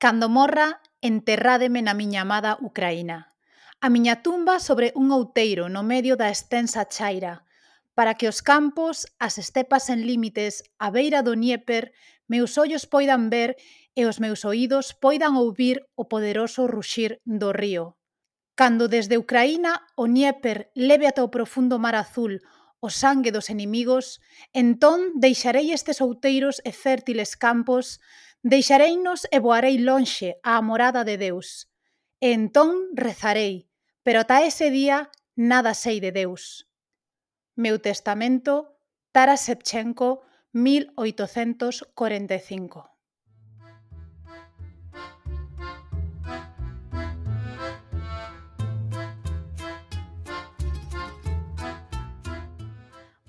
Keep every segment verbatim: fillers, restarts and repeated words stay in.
Cando morra, enterrádeme na miña amada Ucraína. A miña tumba sobre un outeiro no medio da extensa chaira, para que os campos, as estepas sen límites, a beira do Dnieper, meus ollos poidan ver e os meus oídos poidan ouvir o poderoso ruxir do río. Cando desde Ucraína o Dnieper leve ata o profundo mar azul o sangue dos inimigos, entón deixarei estes outeiros e fértiles campos, deixareinos e voarei lonxe á morada de Deus. E entón rezarei, pero ata ese día nada sei de Deus. Meu testamento, Taras Shevchenko, mil oitocentos corenta e cinco.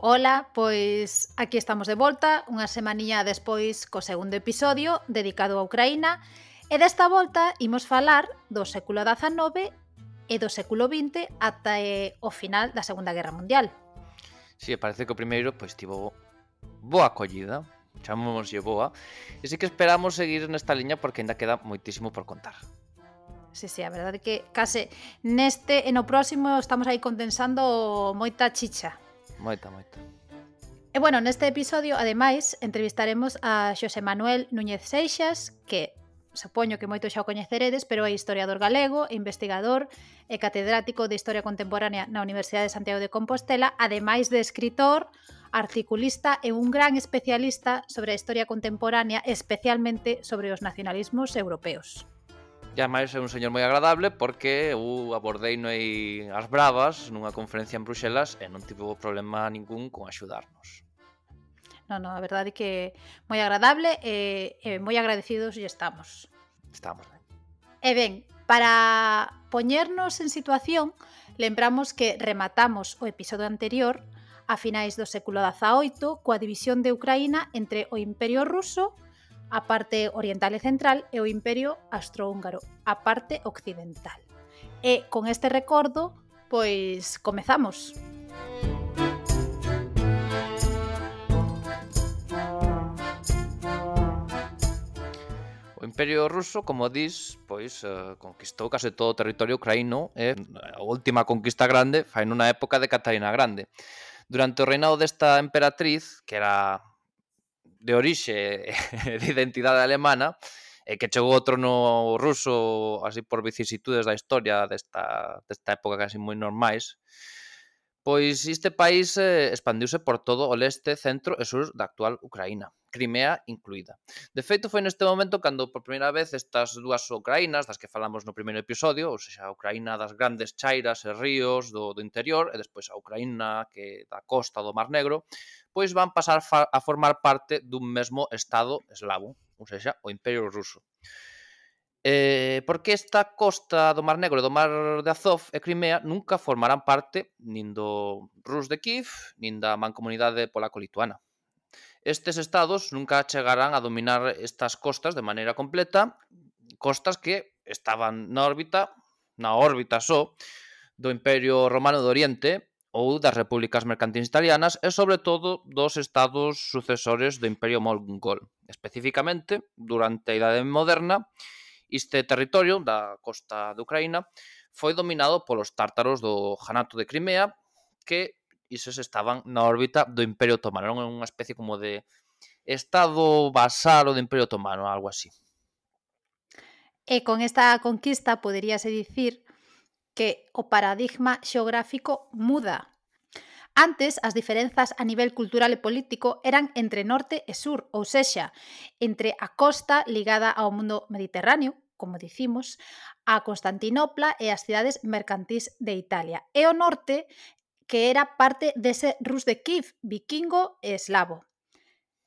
Ola, pois aquí estamos de volta, unha semaniña despois co segundo episodio dedicado a Ucraína, e desta volta imos falar do século dezanove e do século vinte ata eh, o final da Segunda Guerra Mundial. Si, sí, parece que o primeiro pois tivo boa acollida, chamámoslle boa, e sí que esperamos seguir nesta liña porque ainda queda moitísimo por contar. Sí, sí, a verdade é que case neste e no próximo estamos aí condensando moita chicha. Moita, moita. E bueno, neste episodio, ademais, entrevistaremos a Xosé Manuel Núñez Seixas, que supoño que moito xa o coñeceredes, pero é historiador galego, investigador e catedrático de Historia Contemporánea na Universidade de Santiago de Compostela, ademais de escritor, articulista e un gran especialista sobre a historia contemporánea, especialmente sobre os nacionalismos europeos. E ademais é un señor moi agradable porque eu abordei noi as bravas nunha conferencia en Bruxelas e non tivo problema ningún con axudarnos. Non, non, a verdade é que moi agradable e, e moi agradecidos lle estamos. Estamos ben. E ben, para poñernos en situación, lembramos que rematamos o episodio anterior a finais do século dezaoito coa división de Ucraína entre o Imperio Ruso, a parte oriental e central, e o Imperio Austrohúngaro, a parte occidental. E con este recordo, pois comezamos. O Imperio Ruso, como dis, pois eh, conquistou case todo o territorio ucraíno e a última conquista grande fai nunha época de Catarina Grande. Durante o reinado desta emperatriz, que era de orixe e de identidade alemana, e que chegou ao trono ruso así por vicisitudes da historia desta, desta época casi moi normais, pois este país eh, expandiuse por todo o leste, centro e sur da actual Ucraína, Crimea incluída. De feito, foi neste momento cando por primeira vez estas dúas Ucraínas, das que falamos no primeiro episodio, ou seja, a Ucraína das grandes chairas e ríos do, do interior, e despois a Ucraína que da costa do Mar Negro, pois van pasar a formar parte dun mesmo estado eslavo, ou seja, o Imperio Ruso. Eh, porque esta costa do Mar Negro e do Mar de Azov e Crimea nunca formarán parte nin do Rus de Kiev, nin da mancomunidade polaco-lituana. Estes estados nunca chegarán a dominar estas costas de maneira completa, costas que estaban na órbita, na órbita só, do Imperio Romano do Oriente ou das repúblicas mercantiles italianas e, sobre todo, dos estados sucesores do Imperio Mongol. Especificamente, durante a Idade Moderna, este territorio da costa de Ucraína foi dominado polos tártaros do Janato de Crimea, que isos estaban na órbita do Imperio Otomano. Era unha especie como de estado vasalo do Imperio Otomano, algo así. E con esta conquista poderíase dicir que o paradigma xeográfico muda. Antes, as diferenzas a nivel cultural e político eran entre norte e sur, ou sexa, entre a costa ligada ao mundo mediterráneo, como dicimos, a Constantinopla e as cidades mercantís de Italia, e o norte, que era parte dese Rus de Kiev, vikingo e eslavo.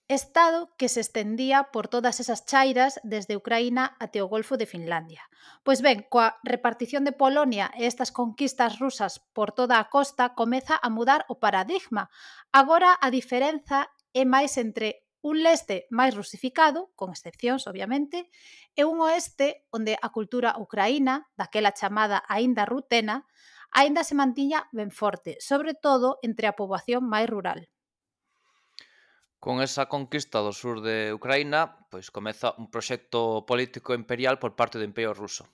Estado que se estendía por todas esas chairas desde Ucraína até o Golfo de Finlandia. Pois ben, coa repartición de Polonia e estas conquistas rusas por toda a costa comeza a mudar o paradigma. Agora a diferenza é máis entre un leste máis rusificado, con excepcións, obviamente, e un oeste onde a cultura ucraína, daquela chamada aínda rutena, aínda se mantiña ben forte, sobre todo entre a poboación máis rural. Con esa conquista do sur de Ucraína, pois comeza un proxecto político imperial por parte do Imperio Ruso,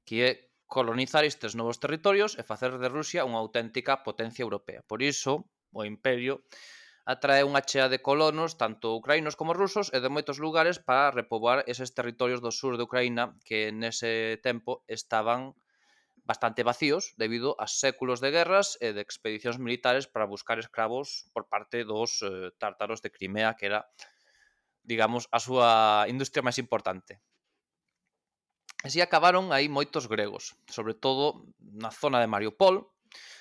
que é colonizar estes novos territorios e facer de Rusia unha auténtica potencia europea. Por iso, o Imperio atrae unha chea de colonos, tanto ucraínos como rusos, e de moitos lugares para repoboar eses territorios do sur de Ucraína que nese tempo estaban bastante vacíos debido a séculos de guerras e de expedicións militares para buscar escravos por parte dos eh, tártaros de Crimea, que era, digamos, a súa industria máis importante. Así acabaron aí moitos gregos, sobre todo na zona de Mariupol,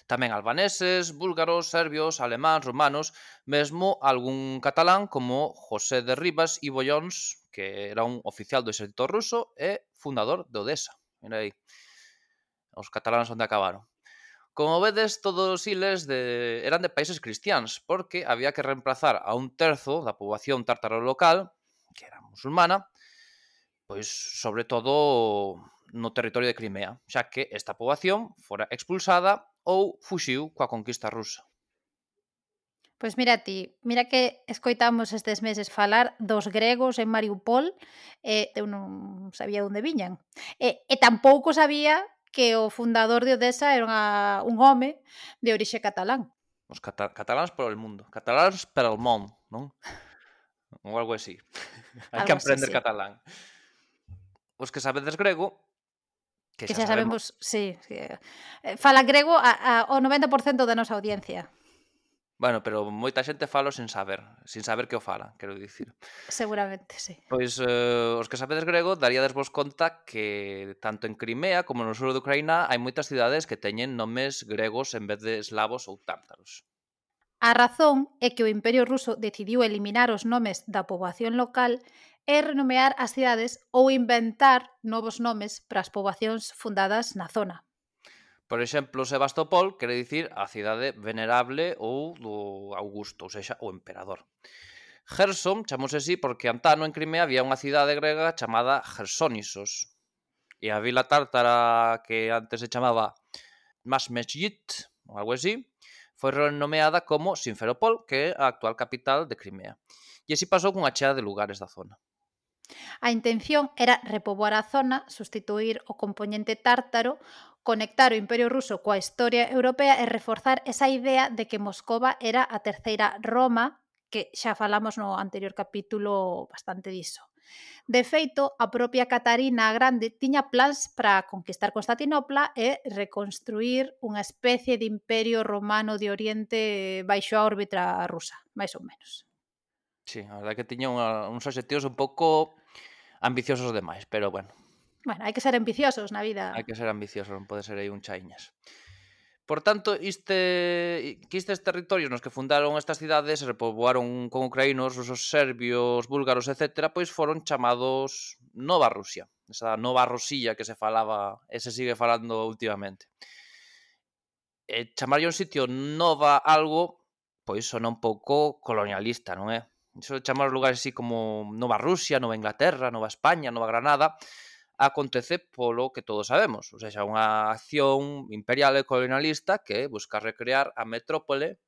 tamén albaneses, búlgaros, serbios, alemáns, romanos, mesmo algún catalán como José de Rivas y Bollons, que era un oficial do exército ruso e fundador de Odessa. Mira aí, os cataláns onde acabaron. Como vedes, todos os iles de... eran de países cristiáns, porque había que reemplazar a un terzo da poboación tártaro local, que era musulmana, pois sobre todo no territorio de Crimea, xa que esta poboación fora expulsada ou fuxiu coa conquista rusa. Pois mira ti, mira que escoitamos estes meses falar dos gregos en Mariupol e eu non sabía onde viñan. E, e tampouco sabía que o fundador de Odessa era unha, un home de orixe catalán. Os cata cataláns por el mundo, cataláns per el món, non? Ou algo así. Hai que Algo así, aprender sí. catalán. Os que sabedes grego, que Que xa xa sabemos... sabemos, sí, sí. Eh, fala grego a, a, o noventa por cento da nosa audiencia, Bueno, pero moita xente falo sen saber, sin saber que o fala, quero dicir. seguramente, sí. Pois eh, os que sabedes grego daríades vos conta que tanto en Crimea como no sur de Ucraína hai moitas cidades que teñen nomes gregos en vez de eslavos ou tártaros. A razón é que o Imperio Ruso decidiu eliminar os nomes da poboación local e renomear as cidades ou inventar novos nomes para as poboacións fundadas na zona. Por exemplo, Sebastopol quere dicir a cidade venerable ou do Augusto, ou seja, o emperador. Gerson chamose así porque antano en Crimea había unha cidade grega chamada Gersonisos. E a vila tártara que antes se chamaba Masmejit, ou algo así, foi renomeada como Simferopol, que é a actual capital de Crimea. E así pasou cunha chea de lugares da zona. A intención era repoboar a zona, sustituir o componente tártaro, conectar o Imperio Ruso coa historia europea e reforzar esa idea de que Moscova era a terceira Roma, que xa falamos no anterior capítulo bastante diso. De feito, a propia Catarina a Grande tiña plans para conquistar Constantinopla e reconstruir unha especie de imperio romano de Oriente baixo a órbita rusa, máis ou menos. Sí, a verdade que tiña unha, uns obxectivos un pouco ambiciosos demais, pero bueno, Bueno, hai que ser ambiciosos na vida. hai que ser ambicioso, non pode ser aí un chaiñas. Por tanto, iste, que estes territorios nos que fundaron estas cidades e repoboaron con ucraínos, rusos, serbios, búlgaros, etcétera, pois foron chamados Nova Rusia. Esa Nova Rosilla que se falaba e se sigue falando últimamente. E chamarlle un sitio Nova algo, pois sona un pouco colonialista, non é? Iso de chamar os lugares así como Nova Rusia, Nova Inglaterra, Nova España, Nova Granada, acontece polo que todos sabemos, ou seja, unha acción imperial e colonialista que busca recrear a metrópole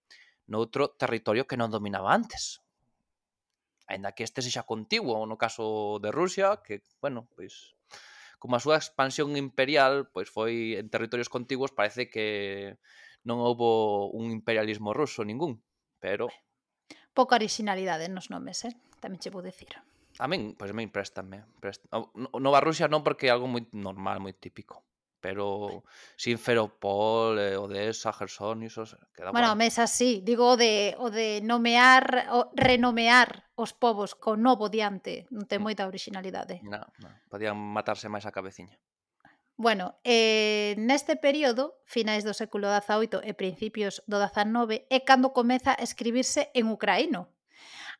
noutro territorio que non dominaba antes. Aínda que este sexa contiguo, no caso de Rusia, que, bueno, pois, como a súa expansión imperial pois foi en territorios contiguos, parece que non houbo un imperialismo ruso ningún, pero Pouca originalidade nos nomes, eh? Tamén che vou dicir. a min, pois a min préstame. Prest... Nova Rusia non porque é algo moi normal, moi típico. Pero Simferopol, eh, Odessa, Gerson, iso queda Bueno, guai. mesa sí, digo o de, o de nomear, o renomear os povos con novo diante, non ten Mm, moita originalidade. non, non. Podían matarse máis a cabeciña. Bueno, eh, neste período, finais do século dezaoito e principios do dezanove, é cando comeza a escribirse en ucraíno.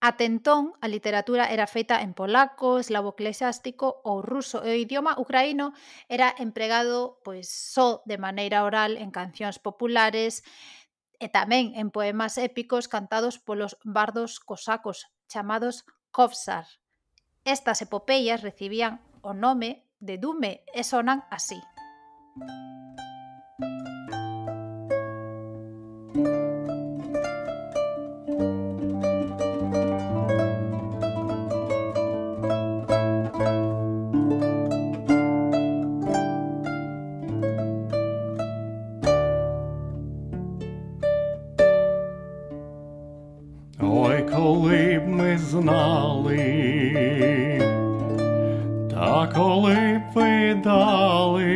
Até entón, a literatura era feita en polaco, eslavo eclesiástico ou ruso, e o idioma ucraíno era empregado pois só de maneira oral en cancións populares e tamén en poemas épicos cantados polos bardos cosacos, chamados kovsar. Estas epopeyas recibían o nome de Dume e sonan así. коли педали,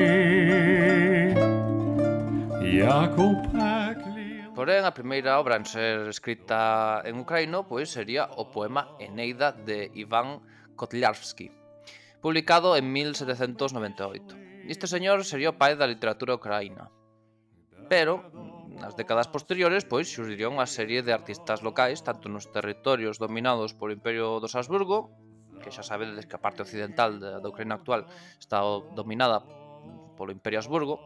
як у пеклі. Porén, a primeira obra en ser escrita en ucraíno pois sería o poema Eneida de Iván Kotlyarski, publicado en mil setecentos noventa e oito. Este señor sería o pai da literatura ucraína. Pero, nas décadas posteriores, pois xurdiría unha serie de artistas locais, tanto nos territorios dominados polo Imperio dos Habsburgo, que xa sabedes que a parte occidental da, da Ucraína actual está dominada polo Imperio Habsburgo,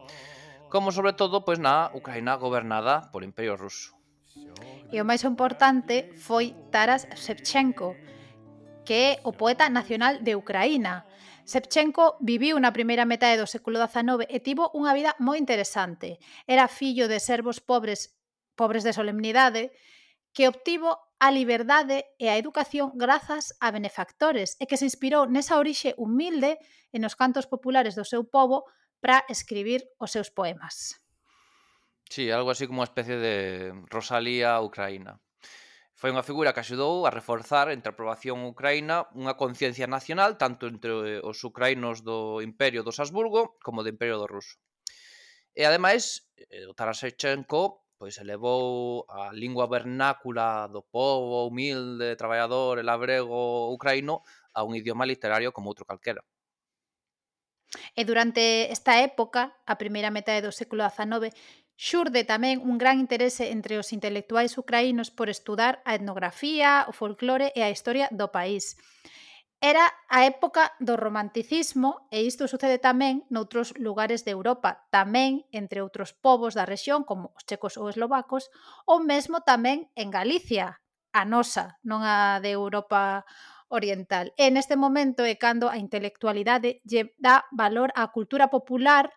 como sobre todo pois na Ucraína gobernada polo Imperio Ruso. E o máis importante foi Taras Shevchenko, que é o poeta nacional de Ucraína. Shevchenko viviu na primeira metade do século dezanove e tivo unha vida moi interesante. Era fillo de servos pobres, pobres de solemnidade, que obtivo a liberdade e a educación grazas a benefactores e que se inspirou nesa orixe humilde e nos cantos populares do seu pobo para escribir os seus poemas. Sí, algo así como unha especie de Rosalía ucraína. Foi unha figura que axudou a reforzar entre a poboación ucraína unha conciencia nacional tanto entre os ucraínos do Imperio dos Habsburgo como do Imperio do Ruso. E ademais, o Taras Shevchenko pois elevou a lingua vernácula do pobo humilde, traballador e labrego ucraíno a un idioma literario como outro calquera. E durante esta época, a primeira metade do século dezanove, xurde tamén un gran interese entre os intelectuais ucraínos por estudar a etnografía, o folclore e a historia do país. Era a época do romanticismo e isto sucede tamén noutros lugares de Europa, tamén entre outros povos da rexión como os checos ou eslovacos, ou mesmo tamén en Galicia, a nosa, non a de Europa oriental. E neste momento é cando a intelectualidade lle dá valor á cultura popular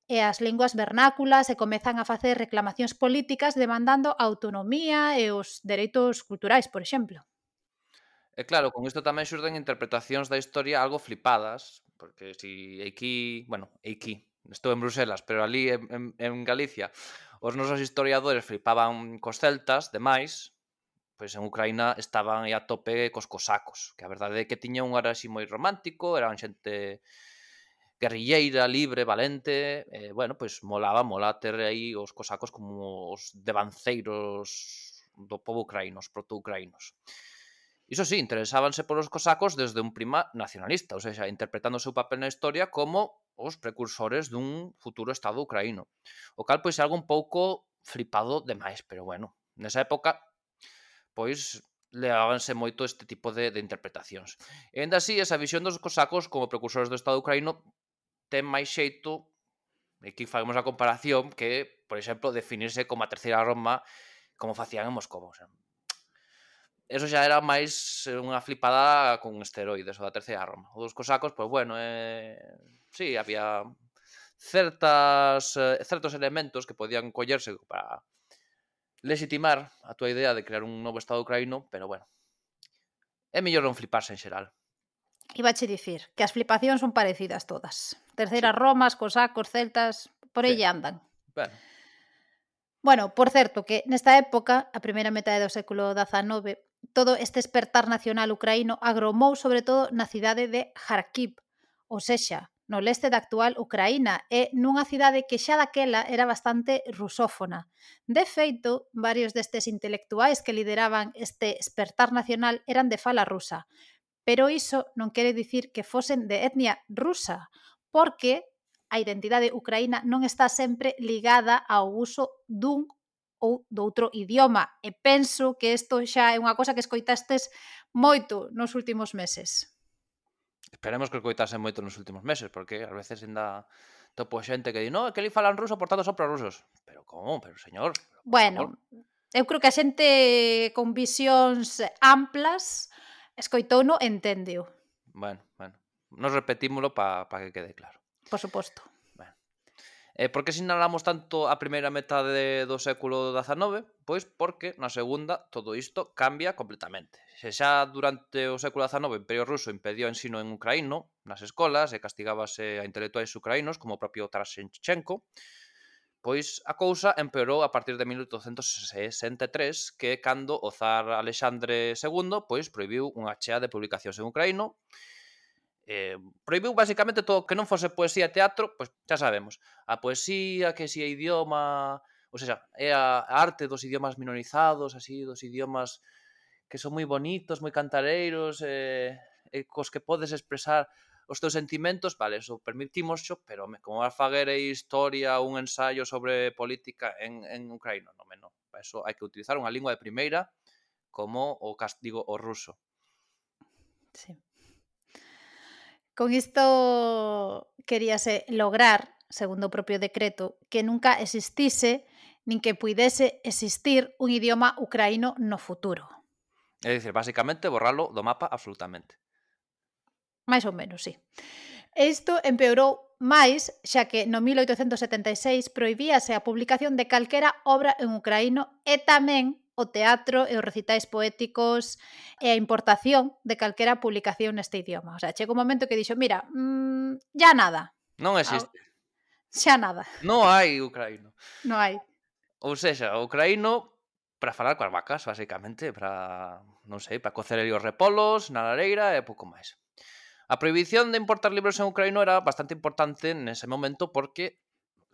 e as linguas vernáculas e comezan a facer reclamacións políticas demandando a autonomía e os dereitos culturais, por exemplo. E claro, con isto tamén xurden interpretacións da historia algo flipadas, porque si aquí, bueno, aquí, estou en Bruselas, pero ali en, en, en Galicia os nosos historiadores flipaban cos celtas, demais, pois en Ucraína estaban aí a tope cos cosacos, que a verdade é que tiña un araxi moi romántico, eran xente guerrilleira, libre, valente, e, bueno, pois molaba, mola ter aí os cosacos como os devanceiros do pobo ucraíno, os proto-ucraínos. Iso sí, interesábanse polos cosacos desde un prima nacionalista, ou seja, interpretando o seu papel na historia como os precursores dun futuro estado ucraíno. O cal, pois, é algo un pouco flipado demais, pero bueno, nesa época, pois, levábanse moito este tipo de, de interpretacións. E ainda así, esa visión dos cosacos como precursores do estado ucraíno ten máis xeito, e aquí fagamos a comparación, que, por exemplo, definirse como a terceira Roma como facían en Moscova. O sea, eso xa era máis unha flipada con esteroides, o da terceira Roma. O dos cosacos, pois bueno, eh, sí, había certas, eh, certos elementos que podían collerse para legitimar a túa idea de crear un novo estado ucraíno, pero bueno, é mellor non fliparse en xeral. Ibache dicir que as flipacións son parecidas todas. Terceiras Sí. Romas, cosacos, celtas, por aí Sí. andan. Bueno, Bueno, por certo, que nesta época, a primeira metade do século dezanove, todo este despertar nacional ucraíno agromou sobre todo na cidade de Kharkiv, ou sexa, no leste da actual Ucraína, e nunha cidade que xa daquela era bastante rusófona. De feito, varios destes intelectuais que lideraban este despertar nacional eran de fala rusa, pero iso non quere dicir que fosen de etnia rusa, porque a identidade ucraína non está sempre ligada ao uso dun ou do outro idioma. E penso que isto xa é unha cosa que escoitastes moito nos últimos meses. esperemos que o coitasen moito nos últimos meses, porque ás veces ainda topo xente que di, no, é que ali falan ruso, por tanto son prorrusos. Pero como? Pero señor, por Bueno, favor. eu creo que a xente con visións amplas escoitouno e enténdeo, Bueno, bueno, nos repetímolo para pa que quede claro. por suposto. Bueno. E por que sinalamos tanto a primeira metade do século dezanove? Pois porque na segunda todo isto cambia completamente. Se xa durante o século dezanove o Imperio Ruso impediu o ensino en ucraíno nas escolas e castigábase a intelectuais ucraínos como o propio Taras Shevchenko, pois a cousa empeorou a partir de mil oitocentos sesenta e tres, que é cando o zar Alexandre segundo pois prohibiu unha chea de publicacións en ucraíno Eh, prohibiu basicamente todo o que non fose poesía e teatro, pois xa sabemos. A poesía, que si é idioma... Ou seja, é a arte dos idiomas minorizados, así, dos idiomas que son moi bonitos, moi cantareiros, e, e cos que podes expresar os teus sentimentos, vale, eso permitimosxo, pero home, como vas faguer aí historia, un ensaio sobre política en, en ucraíno, non, non. Para eso hai que utilizar unha lingua de primeira como o castigo o ruso. Sí. Con isto queríase lograr, segundo o propio decreto, que nunca existise nin que puidese existir un idioma ucraíno no futuro. É dicir, basicamente, borralo do mapa absolutamente. Mais ou menos, sí. E isto empeorou máis, xa que no mil oitocentos setenta e seis prohibíase a publicación de calquera obra en ucraíno e tamén o teatro e os recitais poéticos e a importación de calquera publicación neste idioma. O sea, chega un momento que dixo, mira, mmm, ya nada. Non Ah, existe. xa nada. Non hai ucraíno. Non hai. Ou seja, o ucraíno para falar coas vacas, basicamente, para, non sei, para cocer ali os repolos na lareira e pouco máis. A prohibición de importar libros en ucraíno era bastante importante nese momento porque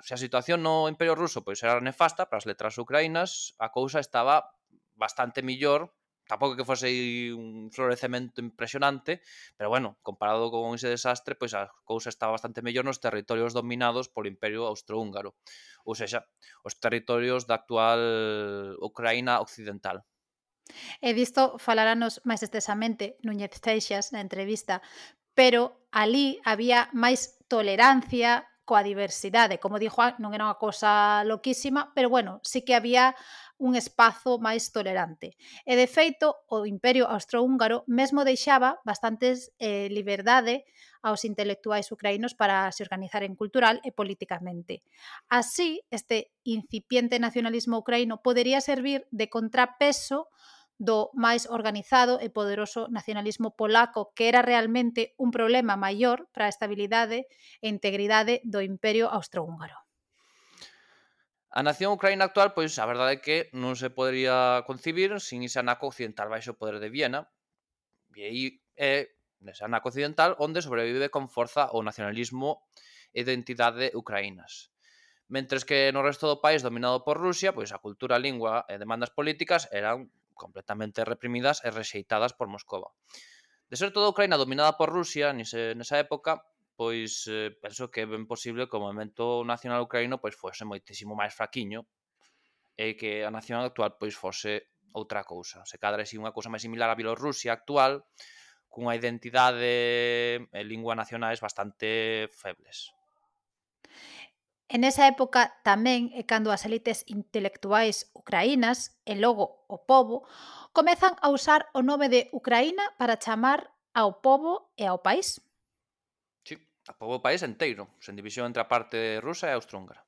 se a situación no Imperio Ruso pois era nefasta para as letras ucraínas, a cousa estaba bastante millor, tampouco que fose un florecemento impresionante, pero bueno, comparado con ese desastre, pois a cousa estaba bastante mellor nos territorios dominados polo Imperio Austrohúngaro, ou seja, os territorios da actual Ucraína occidental. E disto falaranos máis extensamente Núñez Seixas na entrevista, pero alí había máis tolerancia coa diversidade. Como di Juan, non era unha cosa loquísima, pero bueno, sí que había un espazo máis tolerante. E de feito, o Imperio Austrohúngaro mesmo deixaba bastantes eh, liberdade aos intelectuais ucraínos para se organizaren cultural e políticamente. Así, este incipiente nacionalismo ucraíno podería servir de contrapeso do máis organizado e poderoso nacionalismo polaco, que era realmente un problema maior para a estabilidade e integridade do Imperio Austrohúngaro. A nación ucraína actual, pois, a verdade é que non se podería concibir sin ese anaco occidental baixo o poder de Viena, e aí é nese anaco occidental onde sobrevive con forza o nacionalismo e identidade ucraínas. Mentres que no resto do país dominado por Rusia, pois a cultura, a lingua e demandas políticas eran completamente reprimidas e rexeitadas por Moscova. De ser toda a Ucraína dominada por Rusia nese, nesa época, pois eh, penso que é ben posible que o movimento nacional ucraíno pois fose moitísimo máis fraquiño e que a nación actual pois fose outra cousa. Se cadra así unha cousa máis similar á Bielorrusia actual, cunha identidade e lingua nacionais bastante febles. En esa época tamén é cando as elites intelectuais ucraínas e logo o pobo comezan a usar o nome de Ucraína para chamar ao pobo e ao país. Sí, a pobo país enteiro, sen división entre a parte rusa e austrohúngara.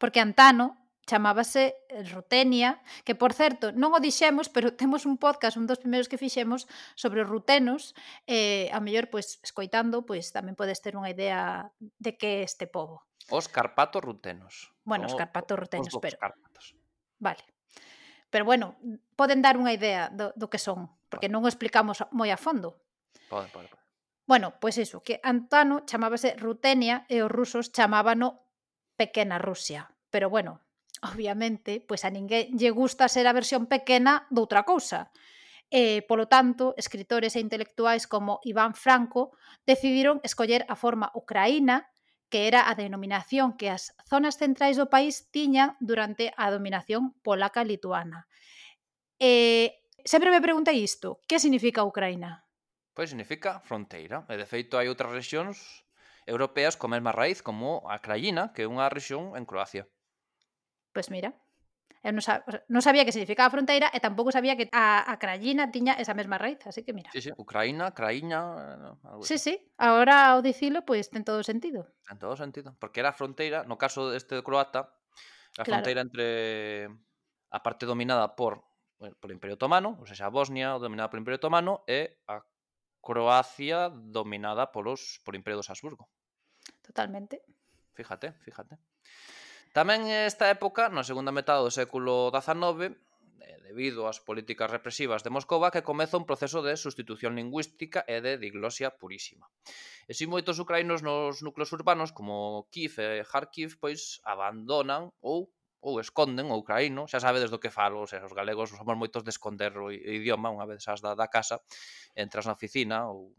Porque antano chamábase Rutenia, que por certo non o dixemos, pero temos un podcast, un dos primeiros que fixemos sobre os rutenos, e a mellor pois escoitando, pois tamén podes ter unha idea de que é este pobo. Os carpatos rutenos. Bueno, os Son carpatos os rutenos, dos pero Cárpatos. vale. Pero bueno, poden dar unha idea do, do que son, porque non o explicamos moi a fondo. Pode, pode, pode. Bueno, pois iso, que antano chamábase Rutenia e os rusos chamábano Pequena Rusia. Pero bueno, obviamente, pois a ninguén lle gusta ser a versión pequena doutra cousa. E, polo tanto, escritores e intelectuais como Iván Franco decidiron escoller a forma ucraína, que era a denominación que as zonas centrais do país tiñan durante a dominación polaca-lituana. E sempre me preguntei isto, que significa Ucraína? Pois significa fronteira. E de feito hai outras rexións europeas con mesma raíz como a Krajina, que é unha rexión en Croacia. Pois mira, eu non, sab non sabía que significaba fronteira e tampouco sabía que a, a Krajina tiña esa mesma raíz, así que mira. Sí, sí, Ucraína, Krajina, algo Sí, así. sí, agora ao dicilo, pois ten todo o sentido. En todo sentido. Porque era a fronteira, no caso deste croata, a Claro. fronteira entre a parte dominada por bueno, por o Imperio Otomano, ou seja, a Bosnia dominada polo Imperio Otomano e a Croacia dominada polos por Imperio dos Habsburgo. Totalmente. Fíjate, fíjate. Tamén esta época, na segunda metade do século dezanove, eh, debido ás políticas represivas de Moscova, que comeza un proceso de sustitución lingüística e de diglosia purísima. E si moitos ucraínos nos núcleos urbanos, como Kiev e Kharkiv, pois abandonan ou ou esconden o ucraíno, xa sabedes do que falo, o sea, os galegos somos moitos de esconder o idioma, unha vez sas da, da casa, entras na oficina ou,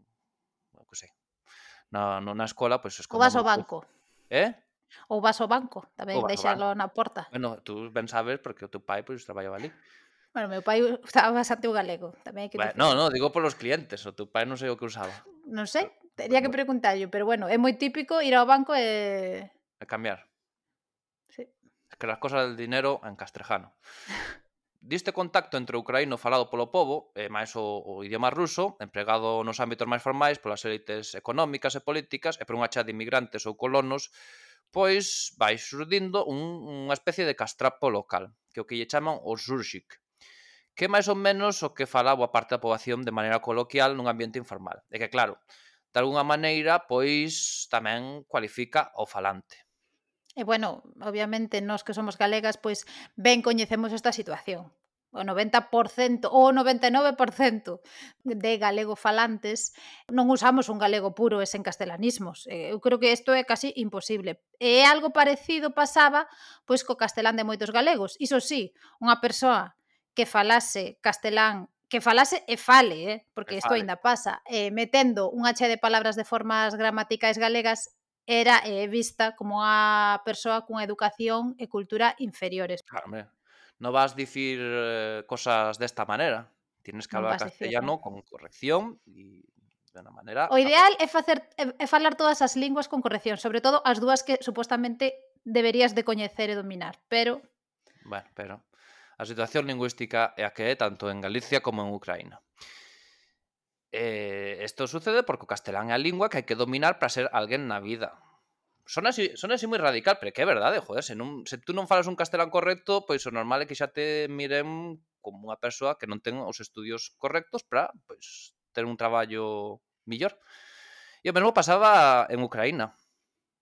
o que sei, na, no, na escola, pois Ou vas escondemos. ao banco. Eh? Ou vas ao banco, Ou tamén, vas ao deixalo banco. na porta. Bueno, tú ben sabes porque o teu pai pois traballaba ali. Bueno, meu pai usaba bastante o galego, tamén hai que Bueno, dicir. no, no, digo polos clientes, o teu pai non sei o que usaba. Non sei, Pero, tería que bueno, preguntarlle, pero bueno, é moi típico ir ao banco e... a cambiar. Sí. Es que las cosas del dinero en castrejano. Diste contacto entre o ucraíno falado polo pobo e máis o, o idioma ruso, empregado nos ámbitos máis formais polas élites económicas e políticas e por unha chea de inmigrantes ou colonos, pois vai surdindo un, unha especie de castrapo local, que é o que lle chaman o Zurchik, que é máis ou menos o que fala boa parte da poboación de maneira coloquial nun ambiente informal. E que, claro, de algunha maneira, pois tamén cualifica o falante. E bueno, obviamente, nós que somos galegas, pois ben coñecemos esta situación. O noventa por cento ou o noventa e nove por cento de galego falantes non usamos un galego puro e sen castelanismos. Eu creo que isto é casi imposible. E algo parecido pasaba pois co castelán de moitos galegos. Iso sí, unha persoa que falase castelán, que falase e fale, eh, porque isto aínda pasa, eh, metendo unha chea de palabras de formas gramaticais galegas, era eh, vista como unha persoa cunha educación e cultura inferiores. Claro, hombre, no vas dicir eh, cosas desta manera. Tienes que Non hablar vas dicirlo. castellano con corrección e de unha manera... O ideal é facer é, é falar todas as linguas con corrección, sobre todo as dúas que supostamente deberías de coñecer e dominar, pero Bueno, pero a situación lingüística é a que é tanto en Galicia como en Ucraína. Eh, isto sucede porque o castelán é a lingua que hai que dominar para ser alguén na vida. Son así, son así moi radical, pero que é verdade, joder, se, non, se tú non falas un castelán correcto, pois o normal é que xa te miren como unha persoa que non ten os estudios correctos para, pois, ter un traballo millor. E o mesmo pasaba en Ucraína.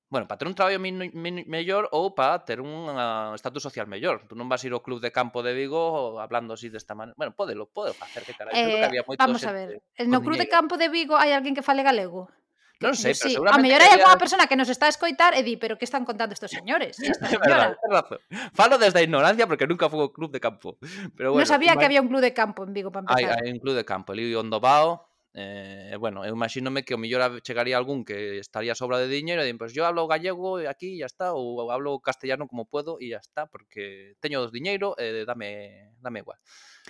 Bueno, para ter un traballo min, min, mellor ou para ter un uh, estatus social mellor. Tú non vas ir ao club de campo de Vigo hablando así desta maneira. Bueno, podelo, podelo facer, que carai. Seguro que eh, había moito vamos a xente ver, no Cruz de Campo de Vigo hai alguén que fale galego? Que, non sei, yo pero sí. A seguramente mellor que hai había... algunha persona que nos está a escoitar e di, pero que están contando estos señores? E esta señora? Verdad, razón. Falo desde a ignorancia porque nunca fui ao club de campo. Pero bueno, non sabía ima... que había un club de campo en Vigo para hai, empezar. hai un club de campo, ali onde vao. Eh, bueno, eu imagínome que o mellor chegaría algún que estaría a sobra de diñeiro e din, pois pues, yo hablo gallego e aquí ya está, ou hablo castellano como puedo e ya está, porque teño dos diñeiro e eh, dame, dame igual.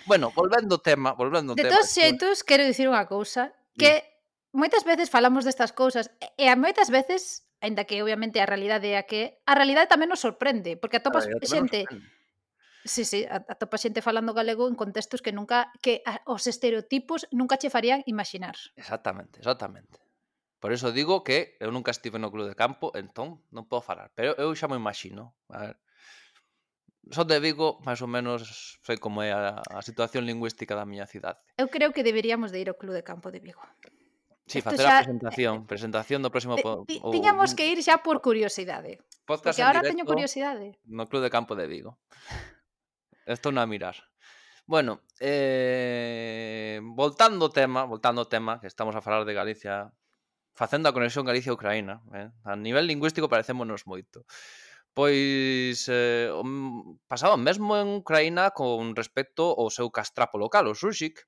Bueno, volvendo ao tema, volvendo ao De tema. todos xeitos, quero dicir unha cousa, que moitas veces falamos destas cousas e a moitas veces, aínda que obviamente a realidade é a que a realidade tamén nos sorprende, porque atopas xente, sí, sí, atopas xente falando galego en contextos que nunca, que a, os estereotipos nunca che farían imaginar. Exactamente, exactamente. Por eso digo que eu nunca estive no club de campo, entón non podo falar, pero eu xa me imagino. A ver, son de Vigo, máis ou menos sei como é a, a situación lingüística da miña cidade. Eu creo que deberíamos de ir ao club de campo de Vigo. Sí, Esto facer xa... a presentación, presentación do próximo... Po, Ti, o, tiñamos que ir xa por curiosidade. Podcast Porque en ahora directo teño curiosidade. No club de campo de Vigo. Estou non a mirar. Bueno, eh, voltando ao tema, voltando ao tema, que estamos a falar de Galicia, facendo a conexión Galicia-Ucraína, eh? A nivel lingüístico parecémonos moito. Pois eh, pasaba mesmo en Ucraína con respecto ao seu castrapo local, o Zurchik,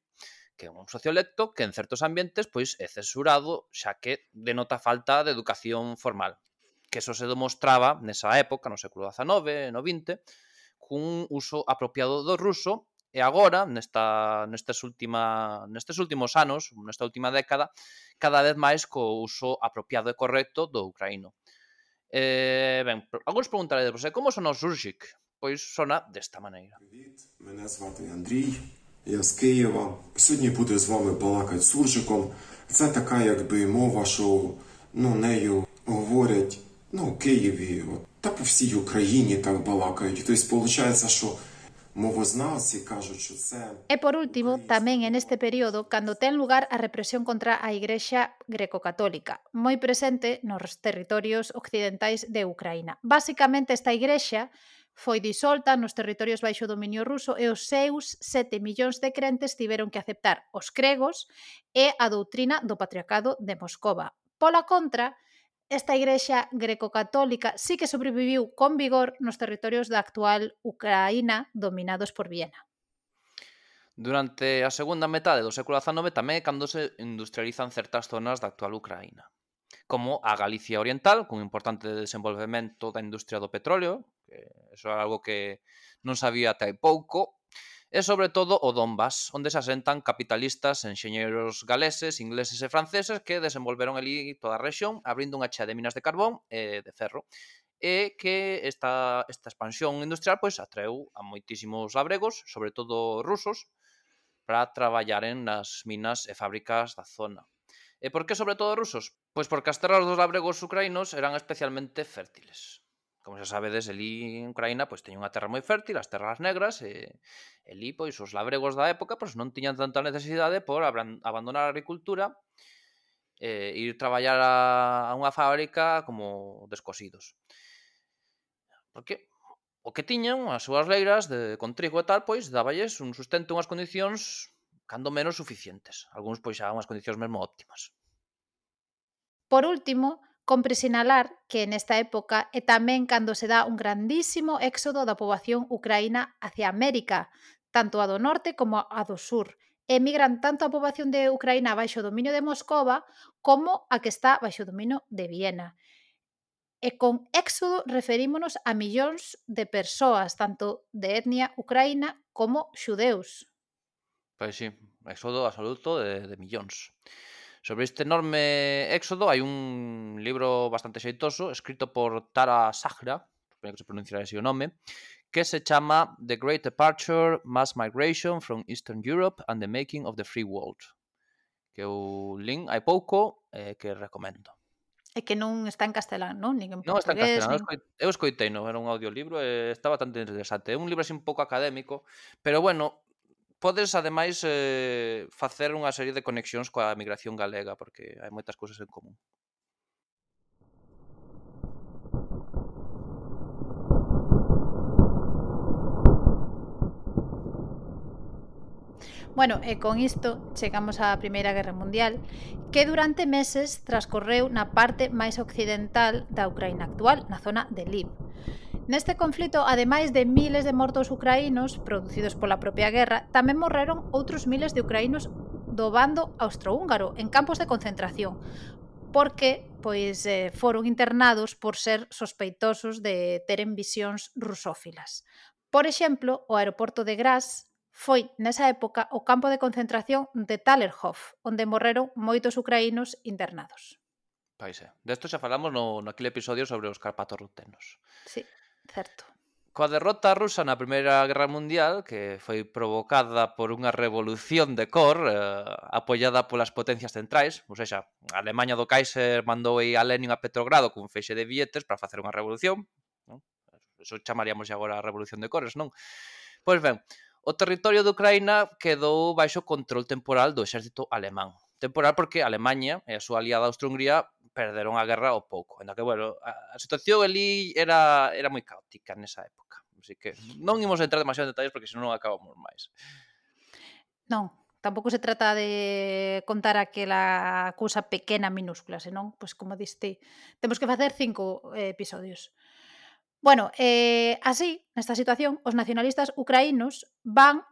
que é un sociolecto que en certos ambientes pois é censurado, xa que denota falta de educación formal. Que eso se demostraba nesa época, no século dezanove, no vinte, cun uso apropiado do ruso, e agora, nesta, nestes, última, nestes últimos anos, nesta última década, cada vez máis co uso apropiado e correcto do ucraíno. Eh, ben, algúns preguntarei, como sona o Zurchik? Pois sona desta maneira. Привіт, мене звати Андрій, я з Києва. Сьогодні буду з вами балакати суржиком. Це така, якби, мова, що, ну, нею говорять, ну, в Києві, та по всій Україні так балакають. Тобто, виходить, що movoznavci кажуть, що це... E por último, tamén en este período, cando ten lugar a represión contra a Igrexa greco-católica, moi presente nos territorios occidentais de Ucraína. Básicamente, esta igrexa foi disolta nos territorios baixo dominio ruso e os seus sete millóns de crentes tiveron que aceptar os cregos e a doutrina do patriarcado de Moscova. Pola contra, esta igrexa greco-católica sí que sobreviviu con vigor nos territorios da actual Ucraína dominados por Viena. Durante a segunda metade do século dezanove tamén é cando se industrializan certas zonas da actual Ucraína, como a Galicia Oriental, con un importante desenvolvemento da industria do petróleo, que eso é algo que non sabía até hai pouco, e sobre todo o Donbass, onde se asentan capitalistas, enxeñeiros galeses, ingleses e franceses que desenvolveron ali toda a rexión, abrindo unha chea de minas de carbón e de ferro, e que esta, esta expansión industrial pois atreu a moitísimos labregos, sobre todo rusos, para traballaren nas minas e fábricas da zona. E por que sobre todo rusos? Pois porque as terras dos labregos ucraínos eran especialmente fértiles. Como xa sabedes, elí en Ucraína pois teñen unha terra moi fértil, as terras negras, e elí pois os labregos da época pois non tiñan tanta necesidade por abandonar a agricultura e ir traballar a, a unha fábrica como descosidos. Porque o que tiñan, as súas leiras de, con trigo e tal, pois dáballes un sustento, unhas condicións cando menos suficientes. Algúns pois xa unhas condicións mesmo óptimas. Por último, compre sinalar que nesta época é tamén cando se dá un grandísimo éxodo da poboación ucraína hacia América, tanto a do norte como a do sur. Emigran tanto a poboación de Ucraína baixo dominio de Moscova como a que está baixo dominio de Viena. E con éxodo referímonos a millóns de persoas, tanto de etnia ucraína como xudeus. Pois sí, éxodo absoluto de, de millóns. Sobre este enorme éxodo hai un libro bastante xeitoso escrito por Tara Sagra, supoño que se pronunciará así o nome, que se chama The Great Departure, Mass Migration from Eastern Europe and the Making of the Free World, que eu lin hai pouco e eh, que recomendo. E que non está en castelán, non? Nin en Non está en portugués, castelán, nin... eu escoitei, non era un audiolibro e está bastante interesante. É un libro así un pouco académico, pero bueno, podes ademais eh, facer unha serie de conexións coa migración galega, porque hai moitas cousas en común. Bueno, e con isto chegamos á Primeira Guerra Mundial, que durante meses transcorreu na parte máis occidental da Ucraína actual, na zona de Lviv. Neste conflito, ademais de miles de mortos ucraínos producidos pola propia guerra, tamén morreron outros miles de ucraínos do bando austrohúngaro en campos de concentración, porque pois eh, foron internados por ser sospeitosos de teren visións rusófilas. Por exemplo, o aeroporto de Graz foi nesa época o campo de concentración de Talerhof, onde morreron moitos ucraínos internados. Pois é. Desto xa falamos no, naquele episodio sobre os carpatos rutenos. Sí, certo. Coa derrota rusa na Primeira Guerra Mundial, que foi provocada por unha revolución de cor eh, apoiada polas potencias centrais, ou seja, a Alemanha do Kaiser mandou aí a Lenin a Petrogrado cun feixe de billetes para facer unha revolución, non? Eso chamaríamos agora a revolución de cores, non? Pois ben, o territorio de Ucraína quedou baixo control temporal do exército alemán. Temporal porque Alemanha e a súa aliada Austria-Hungría perderon a guerra ao pouco. Ainda que, bueno, a, a situación ali era, era moi caótica nesa época. Así que non imos entrar demasiado en detalles porque senón non acabamos máis. Non, tampouco se trata de contar aquela cousa pequena minúscula, senón, pois como diste, temos que facer cinco eh, episodios. Bueno, eh, así, nesta situación, os nacionalistas ucraínos van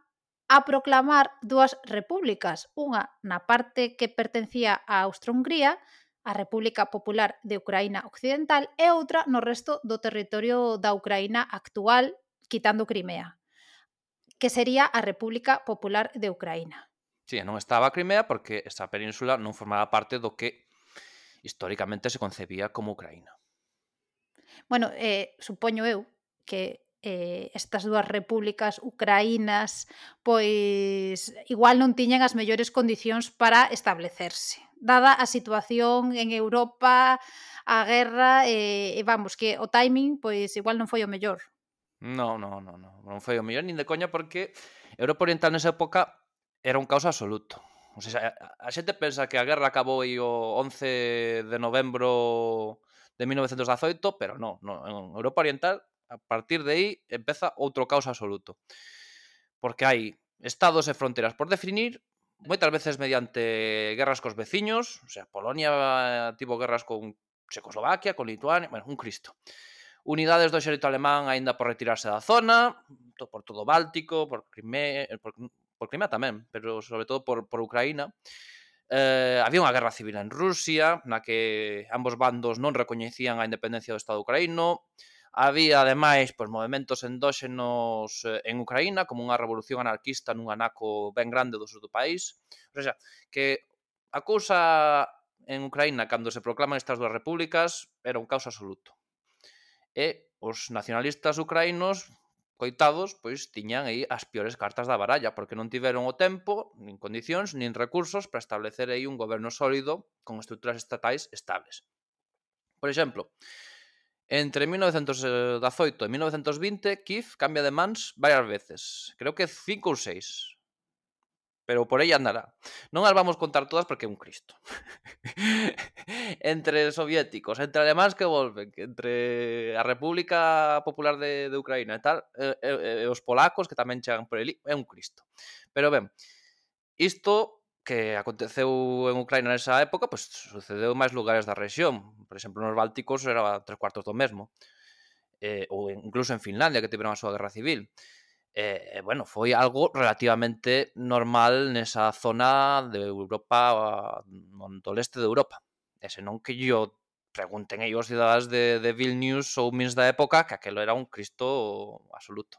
a proclamar dúas repúblicas, unha na parte que pertencía a Austro-Hungría, a República Popular de Ucraína Occidental, e outra no resto do territorio da Ucraína actual, quitando Crimea, que sería a República Popular de Ucraína. Sí, non estaba a Crimea porque esa península non formaba parte do que históricamente se concebía como Ucraína. Bueno, eh, supoño eu que eh, estas dúas repúblicas ucraínas pois igual non tiñan as mellores condicións para establecerse. Dada a situación en Europa, a guerra, e, e vamos, que o timing pois igual non foi o mellor. Non, non, non, non, non foi o mellor nin de coña porque Europa Oriental nesa época era un caos absoluto. O sea, a, a xente pensa que a guerra acabou aí o once de novembro de mil novecentos dezaoito, pero non, non, en Europa Oriental A partir de aí empeza outro caos absoluto. Porque hai estados e fronteras por definir, moitas veces mediante guerras cos veciños, o sea, Polonia tivo guerras con Checoslovaquia, con Lituania, bueno, un cristo. Unidades do exército alemán aínda por retirarse da zona, por todo o Báltico, por Crimea, por, por Crimea tamén, pero sobre todo por, por Ucraína. Eh, había unha guerra civil en Rusia, na que ambos bandos non recoñecían a independencia do Estado ucraíno. Había, ademais, pois, movimentos endóxenos en Ucraína, como unha revolución anarquista nun anaco ben grande do sur do país. O sea, que a cousa en Ucraína, cando se proclaman estas dúas repúblicas, era un caos absoluto. E os nacionalistas ucraínos, coitados, pois tiñan aí as piores cartas da baralla, porque non tiveron o tempo, nin condicións, nin recursos para establecer aí un goberno sólido con estruturas estatais estables. Por exemplo, entre mil novecentos dezaoito e mil novecentos vinte, Kiev cambia de mans varias veces. Creo que cinco ou seis. Pero por aí andará. Non as vamos contar todas porque é un cristo. Entre soviéticos, entre alemáns que volven, entre a República Popular de, de Ucraína e tal, e, e, e os polacos que tamén chegan por ali, é un cristo. Pero ben, isto que aconteceu en Ucraína nesa época, pois sucedeu en máis lugares da rexión. Por exemplo, nos Bálticos era tres cuartos do mesmo. Eh, ou incluso en Finlandia, que tiveron a súa guerra civil. E, eh, bueno, foi algo relativamente normal nesa zona de Europa, do leste de Europa. E senón que yo pregunten aí os cidadáns de, de Vilnius ou Minsk da época que aquelo era un cristo absoluto.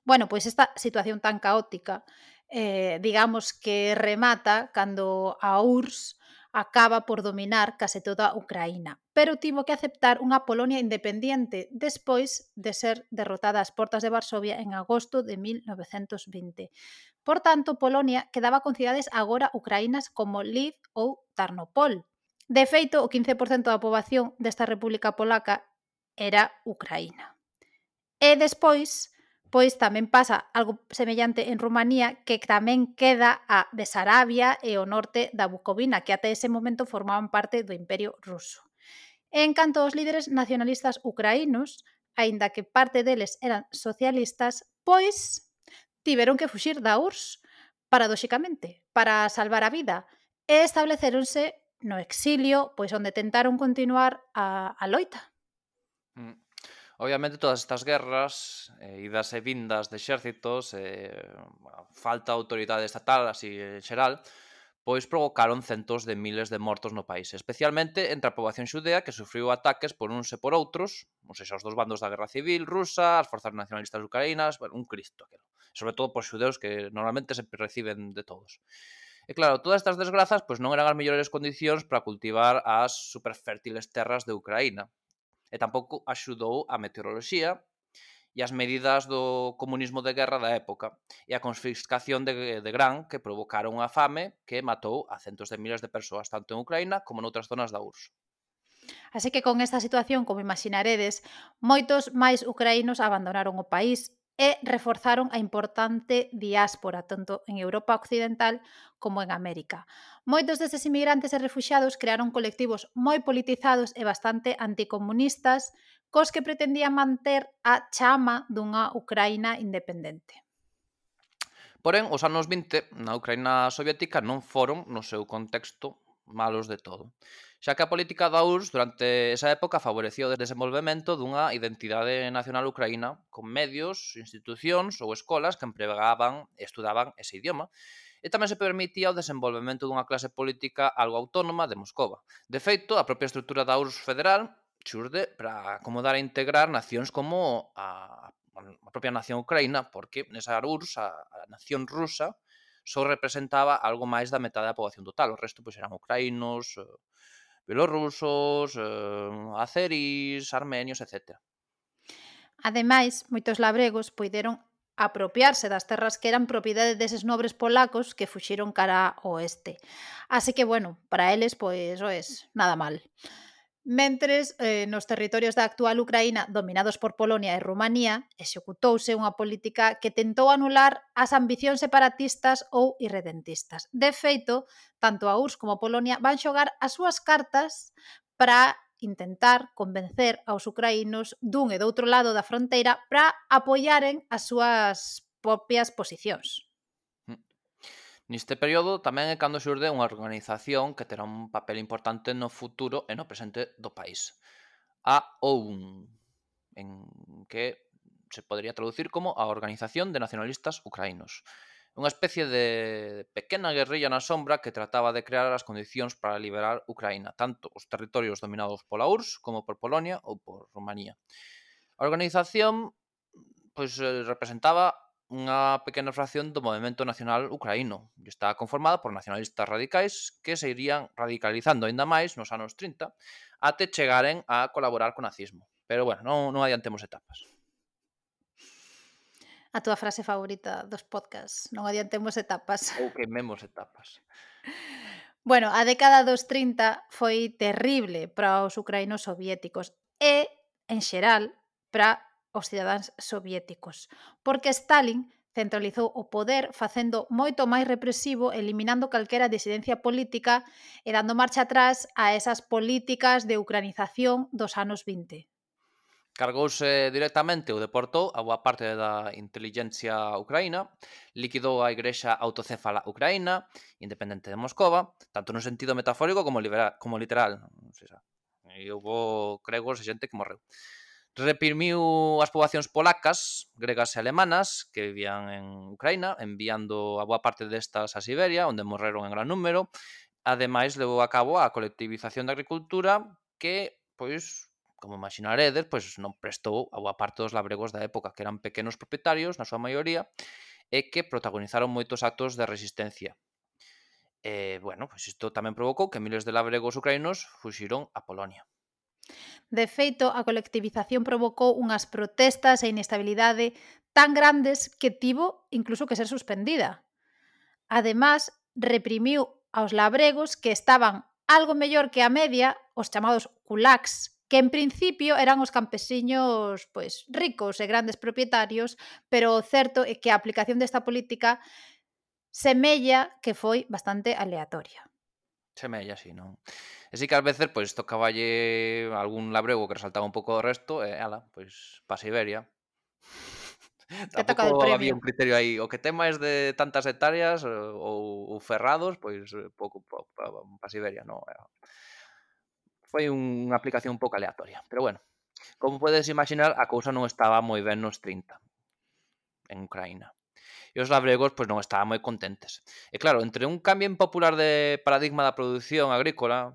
Bueno, pois esta situación tan caótica, eh, digamos que remata cando a U R S S acaba por dominar case toda Ucraína, pero tivo que aceptar unha Polonia independiente despois de ser derrotada ás portas de Varsovia en agosto de mil novecentos vinte. Por tanto, Polonia quedaba con cidades agora ucraínas como Lviv ou Tarnopol. De feito, o quince por cento da poboación desta República Polaca era Ucraína. E despois, pois tamén pasa algo semellante en Rumanía, que tamén queda a Besarabia e o norte da Bucovina, que até ese momento formaban parte do Imperio Ruso. En canto aos líderes nacionalistas ucraínos, aínda que parte deles eran socialistas, pois tiveron que fuxir da U R S S, paradóxicamente, para salvar a vida, e establecéronse no exilio, pois onde tentaron continuar a, a loita. Mm. Obviamente todas estas guerras, eh, idas e vindas de exércitos, eh, falta de autoridade estatal, así en xeral, pois provocaron centos de miles de mortos no país, especialmente entre a poboación xudea que sufriu ataques por uns e por outros, ou seja, os dos bandos da guerra civil rusa, as forzas nacionalistas ucraínas, bueno, un cristo aquilo. Sobre todo por xudeus que normalmente se reciben de todos. E claro, todas estas desgrazas pois non eran as mellores condicións para cultivar as superfértiles terras de Ucraína. E tampouco axudou a meteoroloxía e as medidas do comunismo de guerra da época e a confiscación de, de gran que provocaron unha fame que matou a centos de miles de persoas, tanto en Ucraína como noutras zonas da U R S S. Así que con esta situación, como imaginaredes, moitos máis ucraínos abandonaron o país e reforzaron a importante diáspora, tanto en Europa Occidental como en América. Moitos destes inmigrantes e refuxiados crearon colectivos moi politizados e bastante anticomunistas, cos que pretendían manter a chama dunha Ucraína independente. Porén, os anos vinte na Ucraína soviética non foron, no seu contexto, malos de todo, xa que a política da U R S S durante esa época favorecía o desenvolvemento dunha identidade nacional ucraína con medios, institucións ou escolas que empregaban e estudaban ese idioma, e tamén se permitía o desenvolvemento dunha clase política algo autónoma de Moscova. De feito, a propia estrutura da U R S S federal xurde para acomodar e integrar nacións como a, a propia nación ucraína, porque nesa U R S S, a, a nación rusa, só representaba algo máis da metade da poboación total. O resto pois eran ucraínos, belorrusos, eh, azeris, armenios, etcétera. Ademais, moitos labregos poideron apropiarse das terras que eran propiedade deses nobres polacos que fuxiron cara ao oeste. Así que, bueno, para eles, pois, oes, nada mal. Mentres, eh, nos territorios da actual Ucraína, dominados por Polonia e Rumanía, executouse unha política que tentou anular as ambicións separatistas ou irredentistas. De feito, tanto a U R S S como Polonia van xogar as súas cartas para intentar convencer aos ucraínos dun e do outro lado da fronteira para apoiaren as súas propias posicións. Neste período tamén é cando xurde unha organización que terá un papel importante no futuro e no presente do país. A O U N, en que se podría traducir como a Organización de Nacionalistas Ucraínos. Unha especie de pequena guerrilla na sombra que trataba de crear as condicións para liberar Ucraína, tanto os territorios dominados pola U R S S como por Polonia ou por Rumanía. A organización pois, representaba unha pequena fracción do movemento nacional ucraíno e está conformada por nacionalistas radicais que se irían radicalizando aínda máis nos anos trinta até chegaren a colaborar co nazismo. Pero, bueno, non, non adiantemos etapas. A túa frase favorita dos podcasts, non adiantemos etapas. Ou queimemos etapas. Bueno, a década dos trinta foi terrible para os ucraínos soviéticos e, en xeral, para os cidadáns soviéticos, porque Stalin centralizou o poder facendo moito máis represivo, eliminando calquera disidencia política e dando marcha atrás a esas políticas de ucranización dos anos vinte. Cargouse directamente ou deportou a boa parte da intelixencia ucraína, liquidou a Igrexa Autocéfala Ucraína, independente de Moscova, tanto no sentido metafórico como, libera, como literal. E houve gregos e xente que morreu. Reprimiu as poboacións polacas, gregas e alemanas que vivían en Ucraína, enviando a boa parte destas a Siberia, onde morreron en gran número. Ademais, levou a cabo a colectivización da agricultura que, pois, como imaginaredes, pois non prestou a boa parte dos labregos da época, que eran pequenos propietarios, na súa maioría, e que protagonizaron moitos actos de resistencia. E, bueno, pois isto tamén provocou que miles de labregos ucraínos fuxiron a Polonia. De feito, a colectivización provocou unhas protestas e inestabilidade tan grandes que tivo incluso que ser suspendida. Ademais, reprimiu aos labregos que estaban algo mellor que a media, os chamados kulaks, que en principio eran os campesiños pois ricos e grandes propietarios, pero o certo é que a aplicación desta política semella que foi bastante aleatoria. Semella, sí, non? E sí que ás veces, pois, tocaballe algún labrego que resaltaba un pouco do resto e, ala, pois, pa Siberia. Que toca del Tampouco había premio. un criterio aí, o que ten máis de tantas hectáreas ou, ou ferrados, pois, pouco pa, pa, pa Siberia, non? Foi unha aplicación un pouco aleatoria, pero bueno, como podes imaginar, a cousa non estaba moi ben nos trinta en Ucraína. E os labregos pois, non estaban moi contentes. E claro, entre un cambio impopular de paradigma da produción agrícola,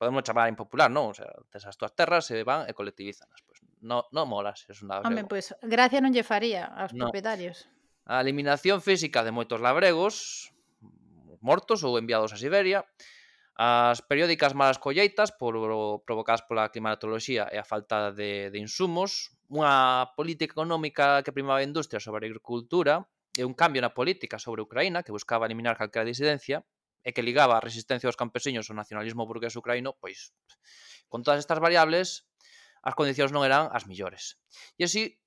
podemos chamar impopular, non? O sea, tes as túas terras e van e colectivízanas. Pois non no molas, es un labrego. Home, pois gracia non lle faría aos No. propietarios. A eliminación física de moitos labregos, mortos ou enviados a Siberia, as periódicas malas colleitas por, provocadas pola climatoloxía e a falta de, de insumos, unha política económica que primaba a industria sobre a agricultura e un cambio na política sobre Ucraína que buscaba eliminar calquera disidencia e que ligaba a resistencia dos campesiños ao nacionalismo burgués ucraíno, pois, con todas estas variables, as condicións non eran as millores. E así,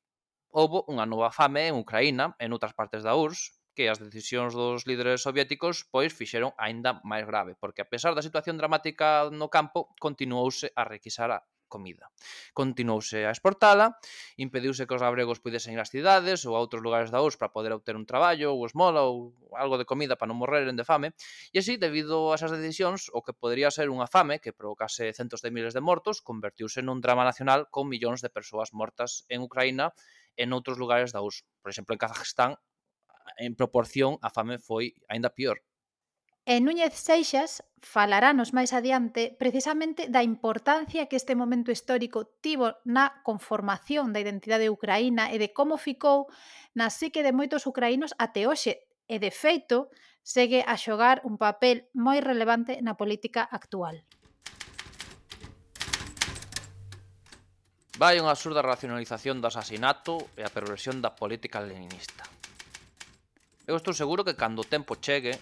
houve unha nova fame en Ucraína e noutras partes da U R S S, que as decisións dos líderes soviéticos pois fixeron aínda máis grave, porque a pesar da situación dramática no campo, continuouse a requisar a comida. Continuouse a exportala, impediuse que os labregos pudesen ir ás cidades ou a outros lugares da U R S S para poder obter un traballo ou esmola ou algo de comida para non morreren de fame, e así, debido a esas decisións, o que podría ser unha fame que provocase centos de miles de mortos, convertiuse nun drama nacional con millóns de persoas mortas en Ucraína e noutros lugares da U R S S. Por exemplo, en Kazajstán, en proporción, a fame foi aínda pior. E Núñez Seixas falaranos máis adiante precisamente da importancia que este momento histórico tivo na conformación da identidade ucraína e de como ficou na psique de moitos ucraínos até hoxe e, de feito, segue a xogar un papel moi relevante na política actual. Vai unha absurda racionalización do asasinato e a perversión da política leninista. Eu estou seguro que cando o tempo chegue,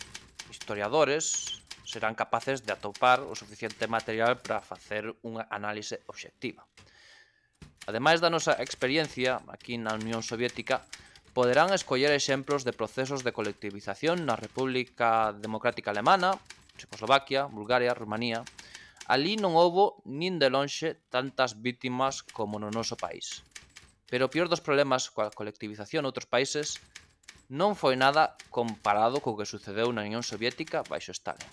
historiadores serán capaces de atopar o suficiente material para facer unha análise obxectiva. Ademais da nosa experiencia aquí na Unión Soviética, poderán escoller exemplos de procesos de colectivización na República Democrática Alemana, Checoslovaquia, Bulgaria, Rumanía, Ali non houbo nin de lonxe tantas vítimas como no noso país. Pero o peor dos problemas coa colectivización noutros países non foi nada comparado co que sucedeu na Unión Soviética baixo Stalin.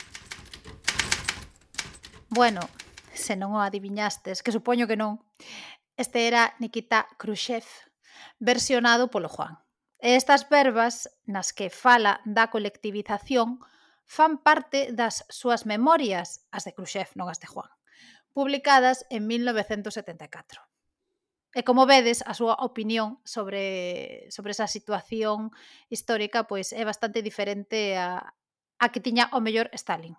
Bueno, se non o adiviñastes, que supoño que non, este era Nikita Khrushchev, versionado polo Juan. E estas verbas nas que fala da colectivización fan parte das súas memorias, as de Khrushchev, non as de Juan, publicadas en mil novecentos setenta e catro. E como vedes, a súa opinión sobre, sobre esa situación histórica pois é bastante diferente a, a que tiña o mellor Stalin.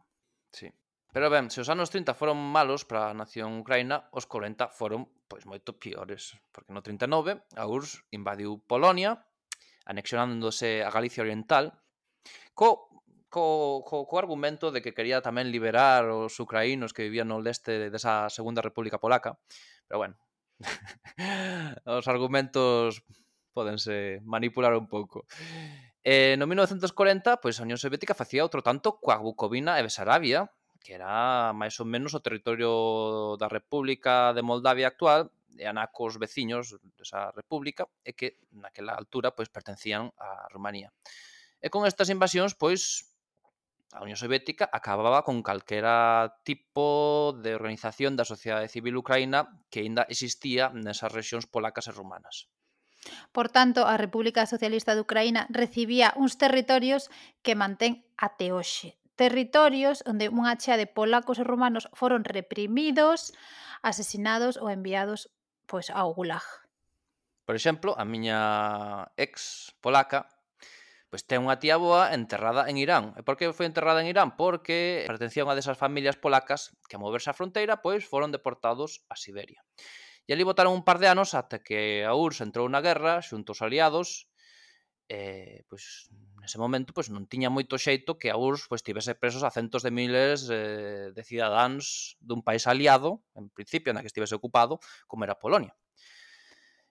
Sí. Pero ben, se os anos trinta foron malos para a nación ucraína, os corenta foron pois moito piores, porque no trinta e nove a U R S S invadiu Polonia, anexionándose a Galicia Oriental, co, co, co, co argumento de que quería tamén liberar os ucraínos que vivían no leste desa Segunda República Polaca. Pero bueno, os argumentos pódense manipular un pouco. Eh, no mil novecentos corenta, pois a Unión Soviética facía outro tanto coa Bucovina e Besarabia, que era máis ou menos o territorio da República de Moldavia actual, e anacos veciños desa república, e que naquela altura pois pertencían a Rumanía. E con estas invasións, pois, a Unión Soviética acababa con calquera tipo de organización da sociedade civil ucraína que aínda existía nesas rexións polacas e rumanas. Por tanto, a República Socialista de Ucraína recibía uns territorios que mantén até hoxe. Territorios onde unha chea de polacos e romanos foron reprimidos, asesinados ou enviados pois, ao Gulag. Por exemplo, a miña ex polaca pois ten unha tía boa enterrada en Irán. E por que foi enterrada en Irán? Porque pertencía a unha desas familias polacas que a moverse a fronteira pois foron deportados a Siberia. E ali botaron un par de anos ata que a U R S S entrou na guerra xunto aos aliados. E, pois, nese momento pois, non tiña moito xeito que a U R S S pois, tivese presos a centos de miles eh, de cidadáns dun país aliado, en principio, na que estivese ocupado, como era Polonia.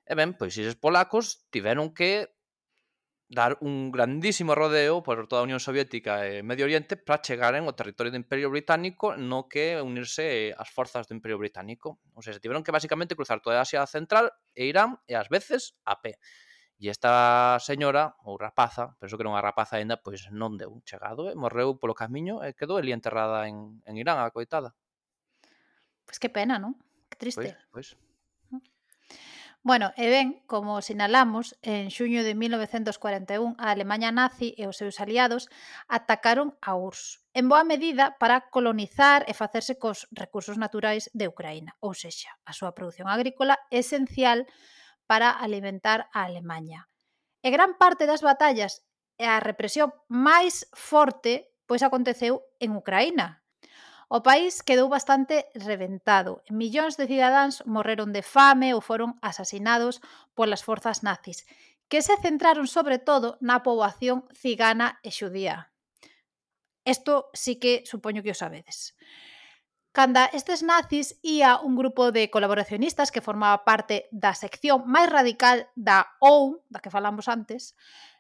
E ben, pois eses polacos tiveron que dar un grandísimo rodeo por toda a Unión Soviética e Medio Oriente para chegaren ao territorio do Imperio Británico no que unirse ás forzas do Imperio Británico. Ou seja, tiveron que basicamente cruzar toda a Asia Central e Irán e ás veces a pé. E esta señora, ou rapaza, penso que era unha rapaza ainda, pois non deu chegado e morreu polo camiño e quedou ali enterrada en, en Irán, a coitada. Pois que pena, non? Que triste. Pois, pois. Bueno, e ben, como sinalamos, en xuño de mil novecentos cuarenta e un a Alemanha nazi e os seus aliados atacaron a U R S S, en boa medida para colonizar e facerse cos recursos naturais de Ucraína, ou sexa, a súa produción agrícola esencial para alimentar a Alemanha. E gran parte das batallas e a represión máis forte pois aconteceu en Ucraína. O país quedou bastante reventado. Millóns de cidadáns morreron de fame ou foron asasinados polas forzas nazis, que se centraron sobre todo na poboación cigana e xudía. Isto sí que supoño que o sabedes. Canda estes nazis ía un grupo de colaboracionistas que formaba parte da sección máis radical da O U N, da que falamos antes,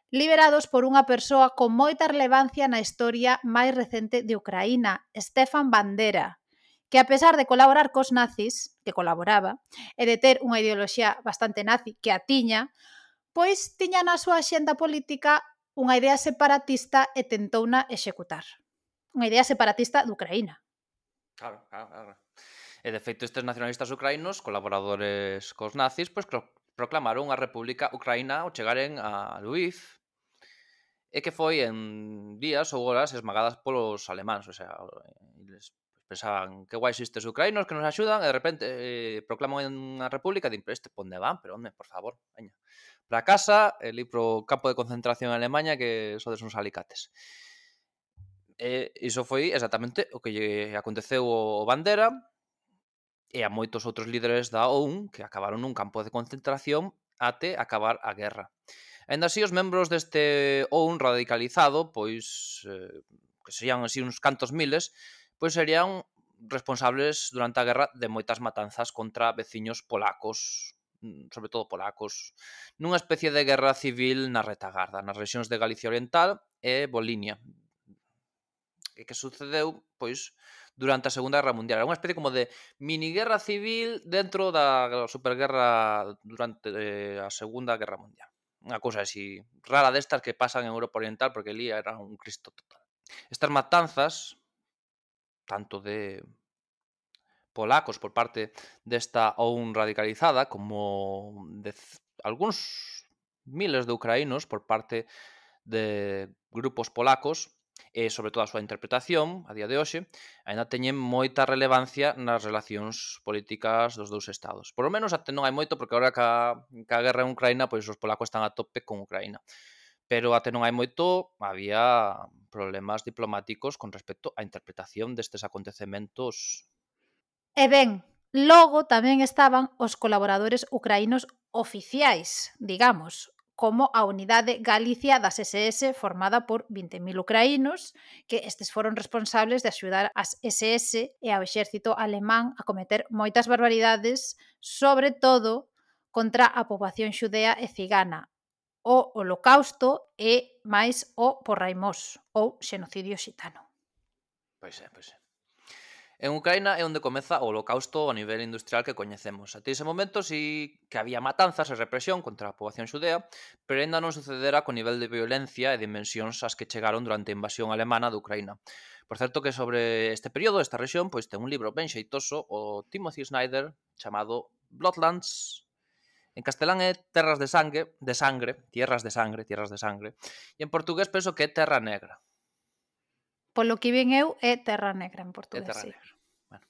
liberados por unha persoa con moita relevancia na historia máis recente de Ucraína, Stefan Bandera, que a pesar de colaborar cos nazis, que colaboraba, e de ter unha ideoloxía bastante nazi que a tiña, pois tiña na súa axenda política unha idea separatista e tentouna executar. Unha idea separatista de Ucraína. Claro, claro, claro. E de feito estes nacionalistas ucraínos, colaboradores cos nazis, pois proclamaron a República Ucraína ao chegaren a Lviv, e que foi en días ou horas esmagadas polos alemáns, o sea, eles pensaban que guai estes ucraínos que nos axudan e de repente eh, proclaman unha república e din, pero este ponde van, pero onde, por favor, veña, para casa, e li pro campo de concentración en Alemanha que sodes uns alicates. E iso foi exactamente o que lle aconteceu ao Bandera e a moitos outros líderes da O U N que acabaron nun campo de concentración até acabar a guerra. Ainda así, os membros deste O U N radicalizado, pois, eh, que serían así uns cantos miles, pois serían responsables durante a guerra de moitas matanzas contra veciños polacos, sobre todo polacos, nunha especie de guerra civil na retagarda, nas rexións de Galicia Oriental e Volinia. E que sucedeu, pois, durante a Segunda Guerra Mundial. Era unha especie como de mini guerra civil dentro da superguerra durante eh, a Segunda Guerra Mundial. Unha cousa así rara destas que pasan en Europa Oriental, porque ali era un cristo total. Estas matanzas, tanto de polacos por parte desta O U N radicalizada, como de algúns miles de ucraínos por parte de grupos polacos, e sobre todo a súa interpretación a día de hoxe, aínda teñen moita relevancia nas relacións políticas dos dous estados. Por lo menos até non hai moito, porque agora ca, ca guerra en Ucraína, pois os polacos están a tope con Ucraína. Pero até non hai moito, había problemas diplomáticos con respecto á interpretación destes acontecementos. E ben, logo tamén estaban os colaboradores ucraínos oficiais, digamos, como a Unidade Galicia das S S formada por vinte mil ucraínos, que estes foron responsables de axudar as S S e ao exército alemán a cometer moitas barbaridades, sobre todo contra a poboación xudea e cigana, o Holocausto e máis o Porraimós, ou xenocidio xitano. Pois é, pois é. En Ucraína é onde comeza o holocausto a nivel industrial que coñecemos. Até ese momento sí que había matanzas e represión contra a poboación xudea, pero ainda non sucedera co nivel de violencia e dimensións ás que chegaron durante a invasión alemana de Ucraína. Por certo que sobre este período, esta rexión, pois ten un libro ben xeitoso, o Timothy Snyder, chamado Bloodlands. En castelán é Terras de Sangue, de Sangre, Tierras de Sangre, Tierras de Sangre, e en portugués penso que é Terra Negra. Polo que ven eu, é Terra Negra en É portugués, Terra sí. Negra. Bueno.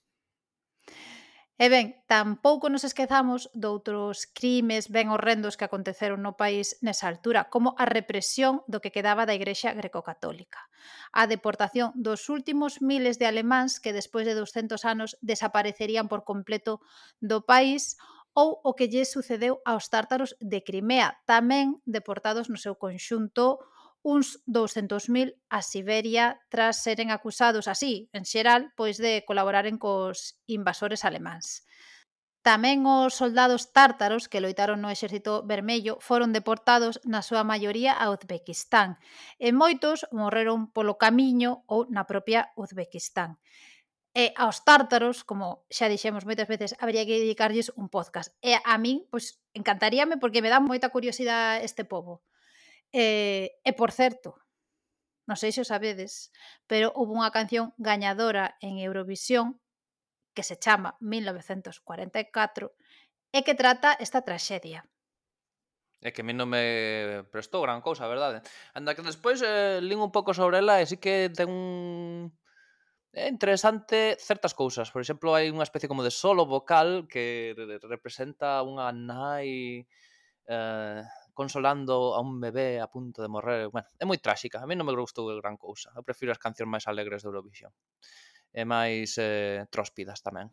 E ben, tampouco nos esquezamos doutros crimes ben horrendos que aconteceron no país nesa altura, como a represión do que quedaba da Igrexa greco-católica, a deportación dos últimos miles de alemáns que despois de douscentos anos desaparecerían por completo do país, ou o que lle sucedeu aos tártaros de Crimea, tamén deportados no seu conxunto uns douscentos mil a Siberia tras seren acusados así, en xeral, pois de colaboraren cos invasores alemáns. Tamén os soldados tártaros que loitaron no Exército Vermello foron deportados na súa maioría a Uzbekistán e moitos morreron polo camiño ou na propia Uzbekistán. E aos tártaros, como xa dixemos moitas veces, habría que dedicarlles un podcast. E a min, pois, encantaríame porque me dá moita curiosidade este pobo. E, e por certo, non sei se o sabedes, pero houve unha canción gañadora en Eurovisión que se chama mil novecentos cuarenta e catro e que trata esta traxedia. É que a mí non me prestou gran cousa, a verdade. Anda que despois eh, lín un pouco sobre ela e sí que ten un... É interesante certas cousas. Por exemplo, hai unha especie como de solo vocal que representa unha nai eh, consolando a un bebé a punto de morrer. Bueno, é moi tráxica. A mí non me gustou gran cousa. Eu prefiro as cancións máis alegres de Eurovisión. E máis eh, tróspidas tamén.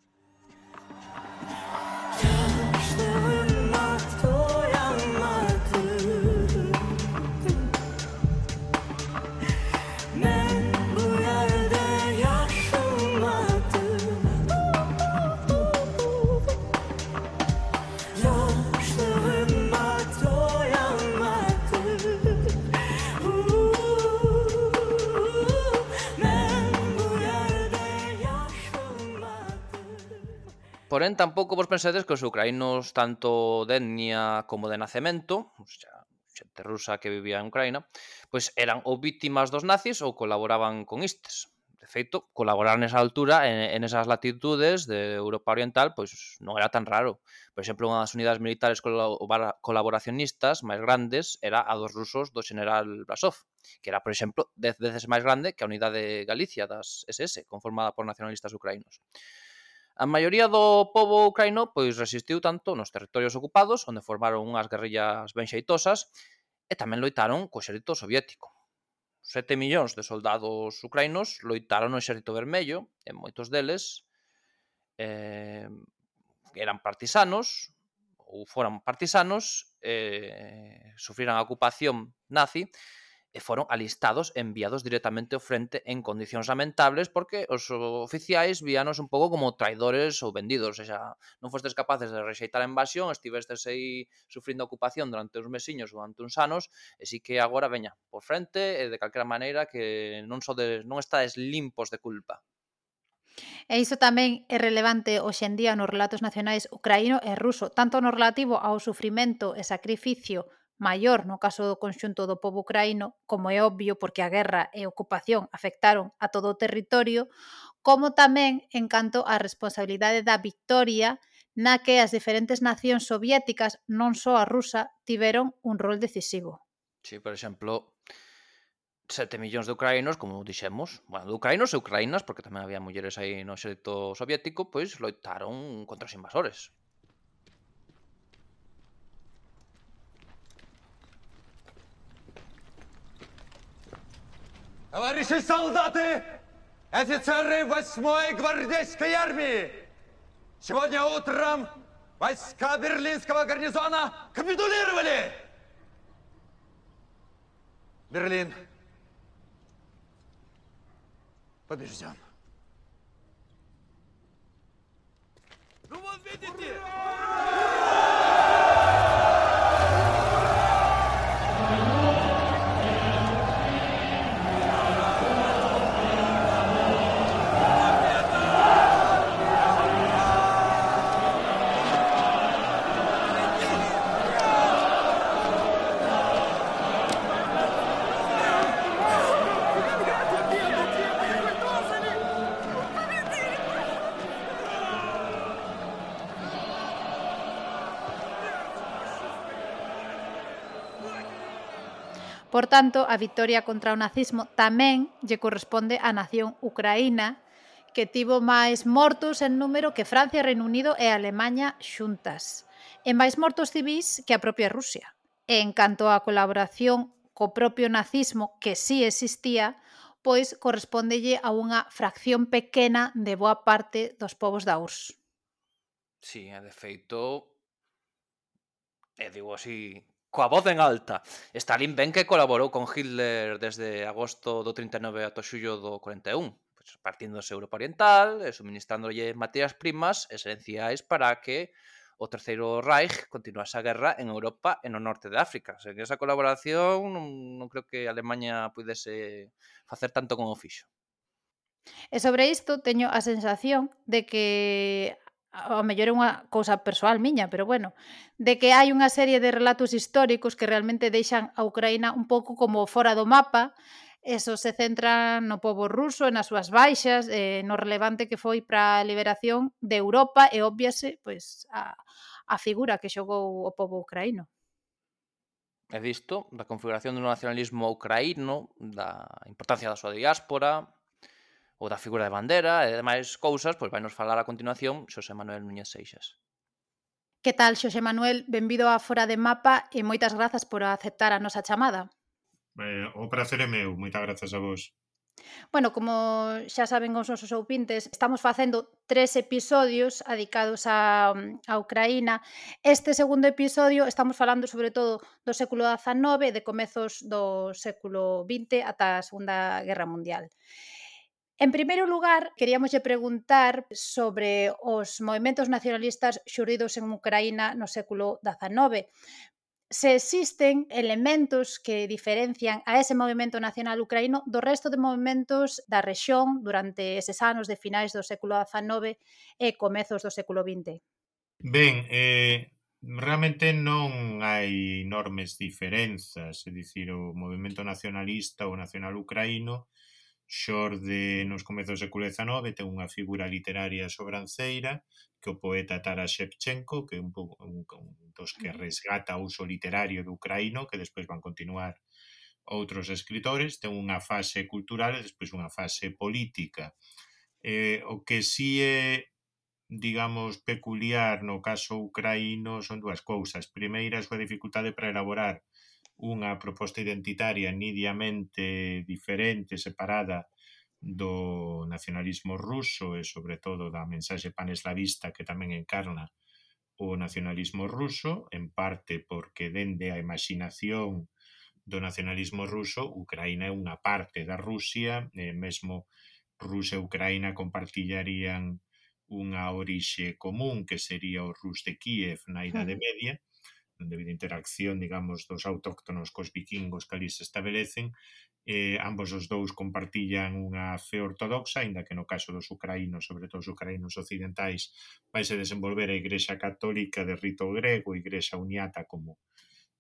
Porén, tampouco vos pensedes que os ucraínos, tanto de etnia como de nacemento, o sea, xente rusa que vivía en Ucraína, pois eran ou vítimas dos nazis ou colaboraban con istes. De feito, colaborar nesa altura, en, en esas latitudes de Europa Oriental, pois non era tan raro. Por exemplo, unha das unidades militares colaboracionistas máis grandes era a dos rusos do general Brasov, que era, por exemplo, dez veces máis grande que a unidade Galicia das S S, conformada por nacionalistas ucraínos. A maioría do pobo ucraíno pois resistiu tanto nos territorios ocupados, onde formaron unhas guerrillas ben xeitosas, e tamén loitaron co exército soviético. Sete millóns de soldados ucraínos loitaron no exército vermello, e moitos deles eh, eran partisanos, ou foran partisanos, eh, sufriran a ocupación nazi, e foron alistados e enviados directamente ao frente en condicións lamentables porque os oficiais víanos un pouco como traidores ou vendidos, ou xa, non fostes capaces de rexeitar a invasión, estivestes aí sufrindo a ocupación durante uns mesiños ou durante uns anos, e si que agora veña por frente e de calquera maneira que non sodes, non estades limpos de culpa. E iso tamén é relevante hoxe en día nos relatos nacionais ucraíno e ruso, tanto no relativo ao sufrimento e sacrificio maior no caso do conxunto do pobo ucraíno, como é obvio porque a guerra e a ocupación afectaron a todo o territorio, como tamén en canto á responsabilidade da victoria na que as diferentes nacións soviéticas, non só a rusa, tiveron un rol decisivo. Sí, por exemplo, sete millóns de ucraínos, como dixemos, bueno, de ucraínos e ucraínas, porque tamén había mulleres aí no exército soviético, pois loitaron contra os invasores. Товарищи солдаты, офицеры восьмой гвардейской армии! Сегодня утром войска берлинского гарнизона капитулировали! Берлин побежден. Ну вот видите! Por tanto, a vitoria contra o nazismo tamén lle corresponde á nación ucraína, que tivo máis mortos en número que Francia, Reino Unido e Alemaña xuntas, e máis mortos civís que a propia Rusia. E en canto á colaboración co propio nazismo, que sí existía, pois correspóndelle a unha fracción pequena de boa parte dos povos da U R S S. Sí, e de feito, e digo así, coa voz en alta, Stalin ben que colaborou con Hitler desde agosto do trinta e nove ata xullo do cuarenta e un, pois partiéndose Europa Oriental e suministrándolle materias primas esenciais para que o Terceiro Reich continuase a guerra en Europa e no norte de África. Sen esa colaboración non, non creo que Alemanha pudese facer tanto como fixo. E sobre isto teño a sensación de que, ao mellor é unha cousa persoal miña, pero bueno, de que hai unha serie de relatos históricos que realmente deixan a Ucraína un pouco como fora do mapa, eso se centra no pobo ruso e nas súas baixas, eh, no relevante que foi para a liberación de Europa e obviase pois, a, a figura que xogou o pobo ucraíno. E disto, da configuración do nacionalismo ucraíno, da importancia da súa diáspora, ou da figura de bandera e demais cousas, pois vai nos falar a continuación Xosé Manuel Núñez Seixas. Que tal, Xosé Manuel? Benvido a Fora de Mapa e moitas grazas por aceptar a nosa chamada. Eh, o prazer é meu, moitas grazas a vos. Bueno, como xa saben os nosos ouvintes, estamos facendo tres episodios dedicados a, a Ucraína. Este segundo episodio estamos falando sobre todo do século dezanove, de comezos do século vinte ata a Segunda Guerra Mundial. En primeiro lugar, queríamoslle preguntar sobre os movementos nacionalistas xurdidos en Ucraína no século dezanove. Se existen elementos que diferencian a ese movimento nacional ucraíno do resto de movimentos da rexión durante eses anos de finais do século dezanove e comezos do século vinte. Ben, eh, realmente non hai enormes diferenzas, é dicir, o movimento nacionalista ou nacional ucraíno xorde nos comezos do século dezanove, ten unha figura literaria sobranceira, que o poeta Taras Shevchenko, que é un, pouco, un, un dos que resgata o uso literario do ucraíno, que despois van continuar outros escritores, ten unha fase cultural e despois unha fase política. Eh, o que si é, digamos, peculiar no caso ucraíno son dúas cousas. Primeira, a súa dificultade para elaborar unha proposta identitaria nidiamente diferente, separada do nacionalismo ruso e, sobre todo, da mensaxe paneslavista que tamén encarna o nacionalismo ruso, en parte porque dende a imaginación do nacionalismo ruso, Ucraína é unha parte da Rusia, e mesmo Rusia e Ucraína compartillarían unha orixe común que sería o Rus de Kiev na Idade Media, debido a interacción, digamos, dos autóctonos cos vikingos que ali se establecen. Eh, ambos os dous compartillan unha fe ortodoxa, aínda que no caso dos ucraínos, sobre todo os ucraínos occidentais, vaise desenvolver a Igrexa Católica de rito grego, Igrexa Uniata como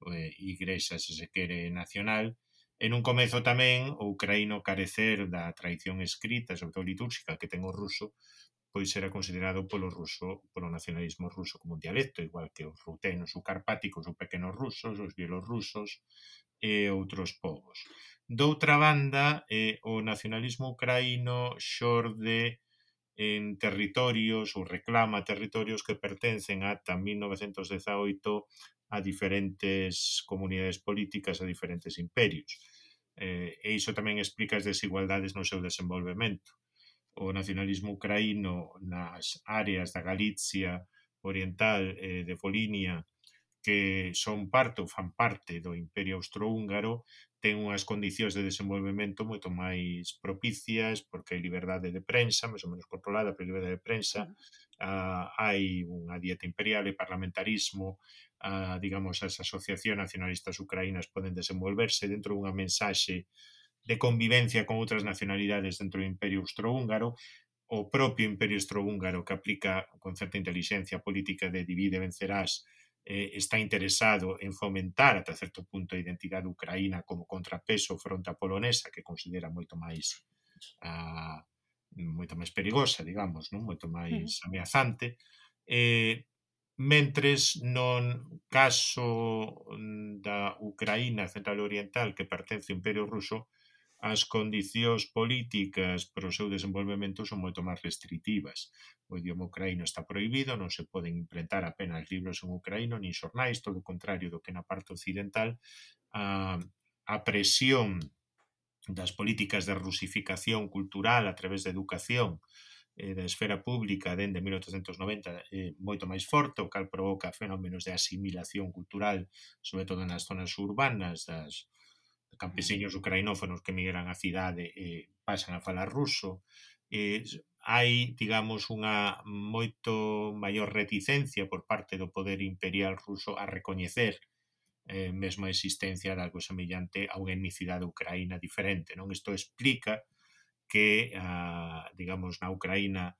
eh, Igrexa, se se quere, nacional. En un comezo tamén o ucraíno carecer da tradición escrita, sobre todo litúrxica, que ten o ruso, pois era considerado polo ruso, polo nacionalismo ruso como un dialecto, igual que os rutenos, os carpáticos, os pequenos rusos, os bielorrusos e outros povos. Doutra banda, eh, o nacionalismo ucraíno xorde en territorios ou reclama territorios que pertencen ata mil novecentos dezaoito a diferentes comunidades políticas, a diferentes imperios. Eh, e iso tamén explica as desigualdades no seu desenvolvemento. O nacionalismo ucraíno nas áreas da Galicia oriental e de Polinia, que son parte ou fan parte do Imperio Austrohúngaro, ten unhas condicións de desenvolvemento moito máis propicias, porque hai liberdade de prensa, máis ou menos controlada pola liberdade de prensa, uh, hai unha dieta imperial e parlamentarismo, uh, digamos, as asociacións nacionalistas ucraínas poden desenvolverse dentro dunha mensaxe de convivencia con outras nacionalidades dentro do Imperio Austrohúngaro. O propio Imperio Austrohúngaro, que aplica con certa inteligencia política de divide e vencerás, eh, está interesado en fomentar ata certo punto a identidade ucraína como contrapeso fronte a polonesa, que considera moito máis uh, moito máis perigosa, digamos, non? Moito máis ameazante. Eh, mentres non caso da Ucraína central e oriental, que pertence ao Imperio Ruso, as condicións políticas para o seu desenvolvemento son moito máis restritivas. O idioma ucraíno está prohibido, non se poden imprentar apenas libros en ucraíno, nin xornais, todo o contrario do que na parte occidental. A, a presión das políticas de rusificación cultural a través da educación e da esfera pública dende mil oitocentos noventa é moito máis forte, o cal provoca fenómenos de asimilación cultural, sobre todo nas zonas urbanas das campesiños ucrainófonos que migran á cidade e pasan a falar ruso. Eh, hai, digamos, unha moito maior reticencia por parte do poder imperial ruso a recoñecer eh, mesmo a existencia de algo semellante a unha etnicidade ucraína diferente, non? Isto explica que, ah, digamos, na Ucraína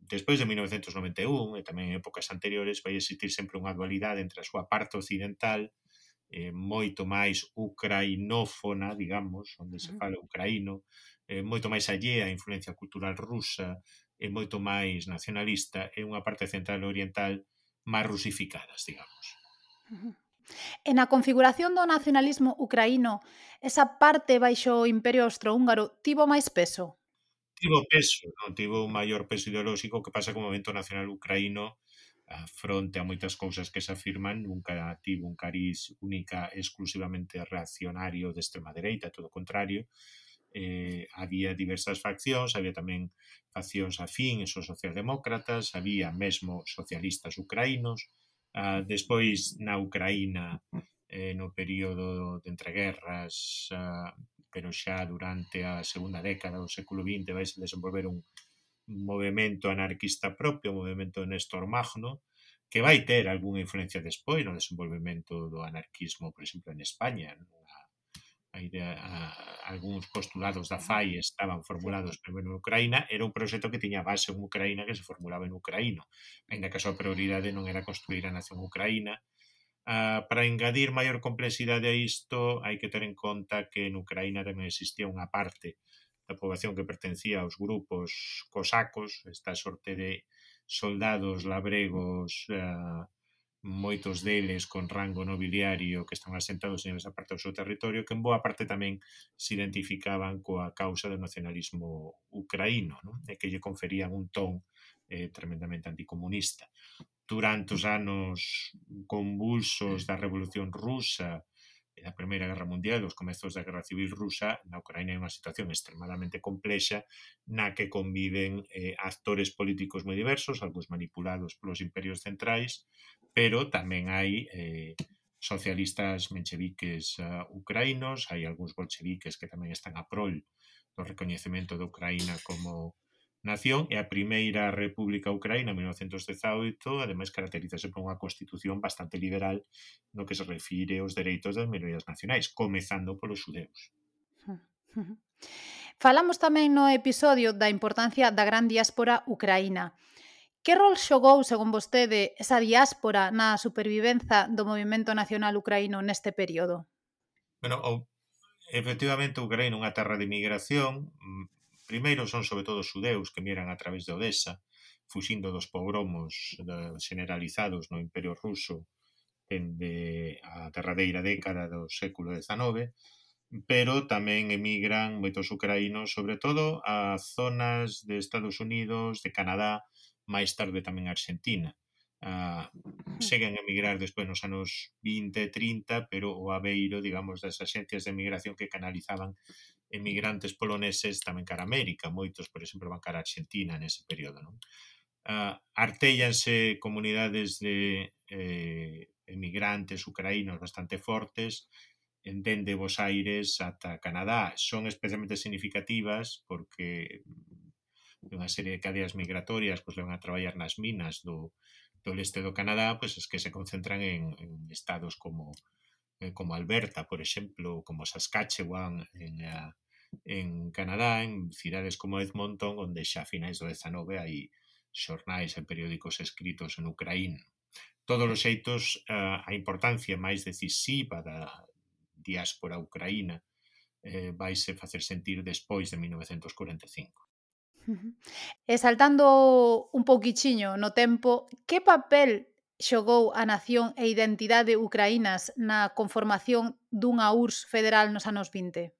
despois de mil novecentos noventa e un e tamén en épocas anteriores vai existir sempre unha dualidade entre a súa parte occidental eh, moito máis ucrainófona, digamos, onde se fala ucraíno, eh, moito máis allea a influencia cultural rusa e moito máis nacionalista, e unha parte central e oriental máis rusificadas, digamos. E na configuración do nacionalismo ucraíno, esa parte baixo o Imperio Austrohúngaro tivo máis peso? Tivo peso, non? Tivo un maior peso ideolóxico. Que pasa que o movimento nacional ucraíno a fronte a moitas cousas que se afirman nunca tivo un cariz única exclusivamente reaccionario de extrema dereita, todo o contrario. Eh, había diversas faccións, había tamén faccións afíns os socialdemócratas, había mesmo socialistas ucraínos. Ah, despois na Ucraína eh, no período de entreguerras, ah, pero xa durante a segunda década do século vinte vai se desenvolver un movimento anarquista propio, o movimento de Néstor Magno, que vai ter algunha influencia despois no desenvolvemento do anarquismo, por exemplo, en España. A idea, a, algúns postulados da F A I estaban formulados primeiro en Ucraína. Era un proxecto que tiña base en Ucraína, que se formulaba en ucraíno, ainda que a súa prioridade non era construir a nación ucraína. Uh, para engadir maior complexidade a isto, hai que ter en conta que en Ucraína tamén existía unha parte da poboación que pertencía aos grupos cosacos, esta sorte de soldados labregos, uh, moitos deles con rango nobiliario que están asentados en esa parte do seu territorio, que en boa parte tamén se identificaban coa causa do nacionalismo ucraíno, non? E que lle conferían un ton eh, tremendamente anticomunista. Durante os anos convulsos da Revolución Rusa e da Primeira Guerra Mundial, os comezos da Guerra Civil Rusa, na Ucraína hai unha situación extremadamente complexa na que conviven eh, actores políticos moi diversos, algúns manipulados polos imperios centrais, pero tamén hai eh, socialistas mencheviques uh, ucraínos, hai algúns bolcheviques que tamén están a prol do recoñecemento de Ucraína como nación, e a primeira República Ucraína, en mil novecentos dezaoito, ademais caracterízase por unha constitución bastante liberal no que se refire aos dereitos das minorías nacionais, comezando polos xudeus. Falamos tamén no episodio da importancia da gran diáspora ucraína. Que rol xogou, según vostede, esa diáspora na supervivenza do movimento nacional ucraíno neste período? Bueno, o, efectivamente, Ucraína é unha terra de migración. Primeiro son sobre todo xudeus que migran a través de Odessa, fuxindo dos pogromos generalizados no Imperio Ruso dende a derradeira década do século dezanove, pero tamén emigran moitos ucraínos, sobre todo a zonas de Estados Unidos, de Canadá, máis tarde tamén a Argentina. Uh, seguen a emigrar despois nos anos vinte e trinta, pero o aveiro, digamos, das axencias de emigración que canalizaban emigrantes poloneses tamén cara a América. Moitos, por exemplo, van cara a Argentina nese período, non? Uh, artéllanse comunidades de eh, emigrantes ucraínos bastante fortes, dende Bos Aires ata Canadá. Son especialmente significativas porque unha serie de cadeas migratorias pois levan a traballar nas minas do, do leste do Canadá, pois es que se concentran en, en estados como, eh, como Alberta, por exemplo, como Saskatchewan en, uh, en Canadá, en cidades como Edmonton, onde xa a finais do dezanove hai xornais e periódicos escritos en ucraíno. Todos os xeitos, uh, a importancia máis decisiva da diáspora ucraína eh, vaise facer sentir despois de mil novecentos cuarenta e cinco. E saltando un pouquichiño no tempo, que papel xogou a nación e identidade ucraínas na conformación dunha U R S S federal nos anos vinte?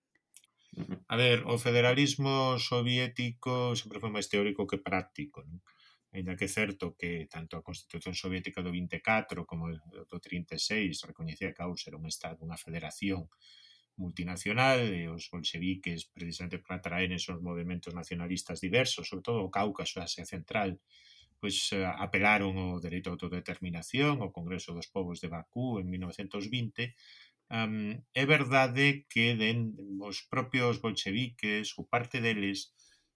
A ver, o federalismo soviético sempre foi máis teórico que práctico, non? Ainda que é certo que tanto a Constitución Soviética do vinte e catro como do trinta e seis recoñecía que a U R S S era un estado, unha federación multinacional, e os bolcheviques, precisamente para atraer esos movimentos nacionalistas diversos, sobre todo o Cáucaso e Asia Central, pois apelaron ao dereito a autodeterminación, ao Congreso dos Povos de Bakú en mil novecentos vinte. Um, é verdade que den, os propios bolcheviques, ou parte deles,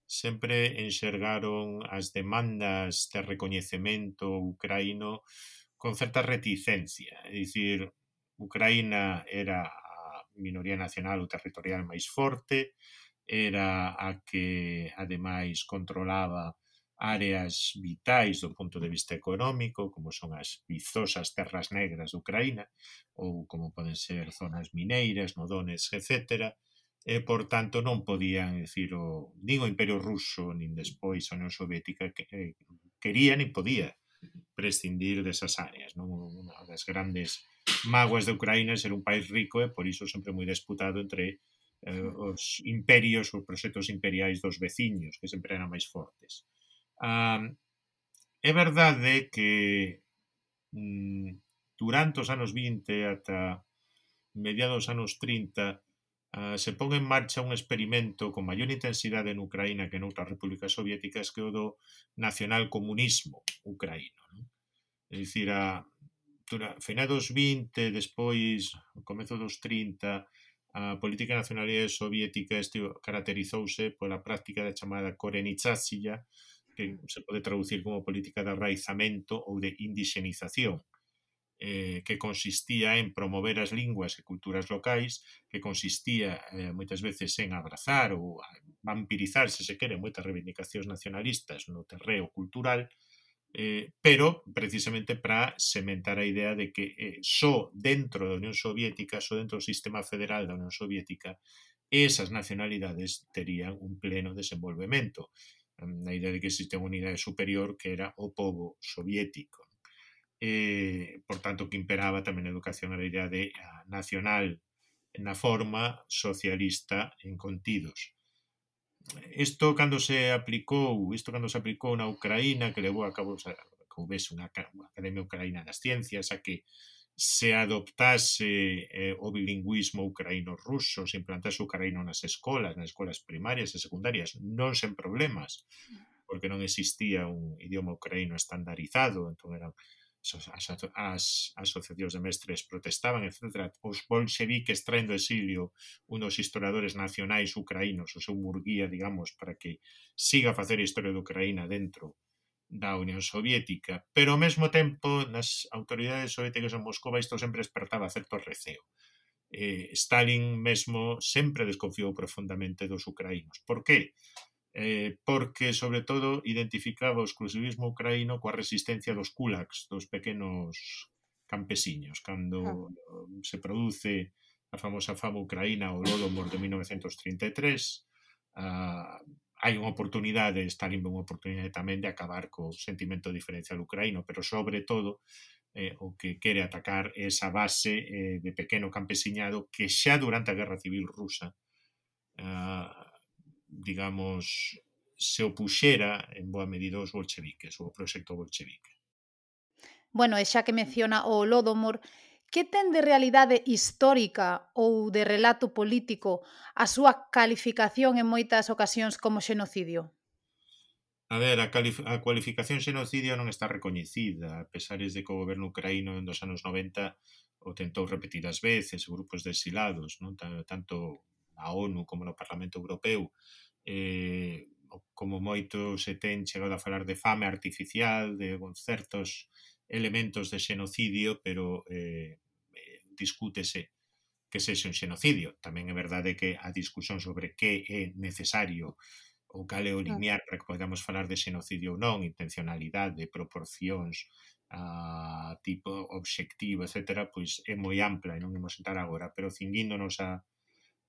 sempre enxergaron as demandas de recoñecemento ucraíno con certa reticencia. É dicir, Ucraína era a minoría nacional ou territorial máis forte, era a que, ademais, controlaba áreas vitais do punto de vista económico, como son as vizosas terras negras de Ucraína, ou como poden ser zonas mineiras, no Donetsk, etcétera, e, por tanto, non podían, decir, o, nin o Imperio Ruso, nin despois a Unión Soviética, que, eh, quería nin podía prescindir desas áreas, non? Unha das grandes mágoas de Ucraína é ser un país rico e, por iso, sempre moi disputado entre eh, os imperios, os proxectos imperiais dos veciños, que sempre eran máis fortes. Um, é verdade que mm, durante os anos vinte ata mediados dos anos trinta uh, se pon en marcha un experimento con maior intensidade en Ucraína que en outras repúblicas soviéticas, que é o do nacionalcomunismo ucraíno, non? É dicir, a, a final dos vinte, despois, ao comezo dos trinta, a política de nacionalidade soviética este caracterizouse pola práctica da chamada korenitsatsiya, que se pode traducir como política de arraizamento ou de indixenización, eh, que consistía en promover as linguas e culturas locais, que consistía eh, moitas veces en abrazar ou vampirizar, se se quere, moitas reivindicacións nacionalistas no terreo cultural, eh, pero precisamente para sementar a idea de que eh, só dentro da Unión Soviética, só dentro do sistema federal da Unión Soviética, esas nacionalidades terían un pleno desenvolvemento, na idea de que existe unha unidade superior que era o pobo soviético. Eh, por tanto, que imperaba tamén a educación a idea de a nacional na forma, socialista en contidos. Isto cando se aplicou, isto cando se aplicou na Ucraína, que levou a cabo que houvese unha Academia Ucraína das Ciencias, a que se adoptase eh, o bilingüismo ucraíno-ruso, se implantase o ucraíno nas escolas, nas escolas primarias e secundarias, non sen problemas, porque non existía un idioma ucraíno estandarizado, entón eran as, as asociacións de mestres protestaban, etcétera. Os bolcheviques traen do exilio unos historiadores nacionais ucraínos, o seu Murguía, digamos, para que siga a facer a historia de Ucraína dentro da Unión Soviética, pero ao mesmo tempo nas autoridades soviéticas en Moscova isto sempre despertaba certo receo. Eh, Stalin mesmo sempre desconfiou profundamente dos ucraínos. Por qué? Eh, porque, sobre todo, identificaba o exclusivismo ucraíno coa resistencia dos kulaks, dos pequenos campesiños. Cando uh, se produce a famosa fama ucraína, o Holodomor de mil novecentos trinta e tres, uh, hai unha oportunidade, Stalin ve unha oportunidade tamén de acabar co sentimento diferencial ucraíno, pero sobre todo eh, o que quere atacar é esa base eh, de pequeno campesiñado que xa durante a Guerra Civil Rusa uh, digamos, se opuxera en boa medida aos bolcheviques, ou ao proxecto bolchevique. Bueno, e xa que menciona o Holodomor, que ten de realidade histórica ou de relato político a súa calificación en moitas ocasións como xenocidio? A ver, a, a cualificación xenocidio non está recoñecida, a pesares de que o goberno ucraíno en dos anos noventa o tentou repetidas veces, grupos de exilados, non? Tanto a ONU como no Parlamento Europeu, eh, como moito se ten chegado a falar de fame artificial, de certos elementos de xenocidio, pero eh, discútese que sexa un xenocidio. Tamén é verdade que a discusión sobre que é necesario ou cal é o linear para que podamos falar de xenocidio ou non, intencionalidade, proporcións, a tipo obxectivo, etcétera, pois é moi ampla e non imos entrar agora, pero cinguíndonos a,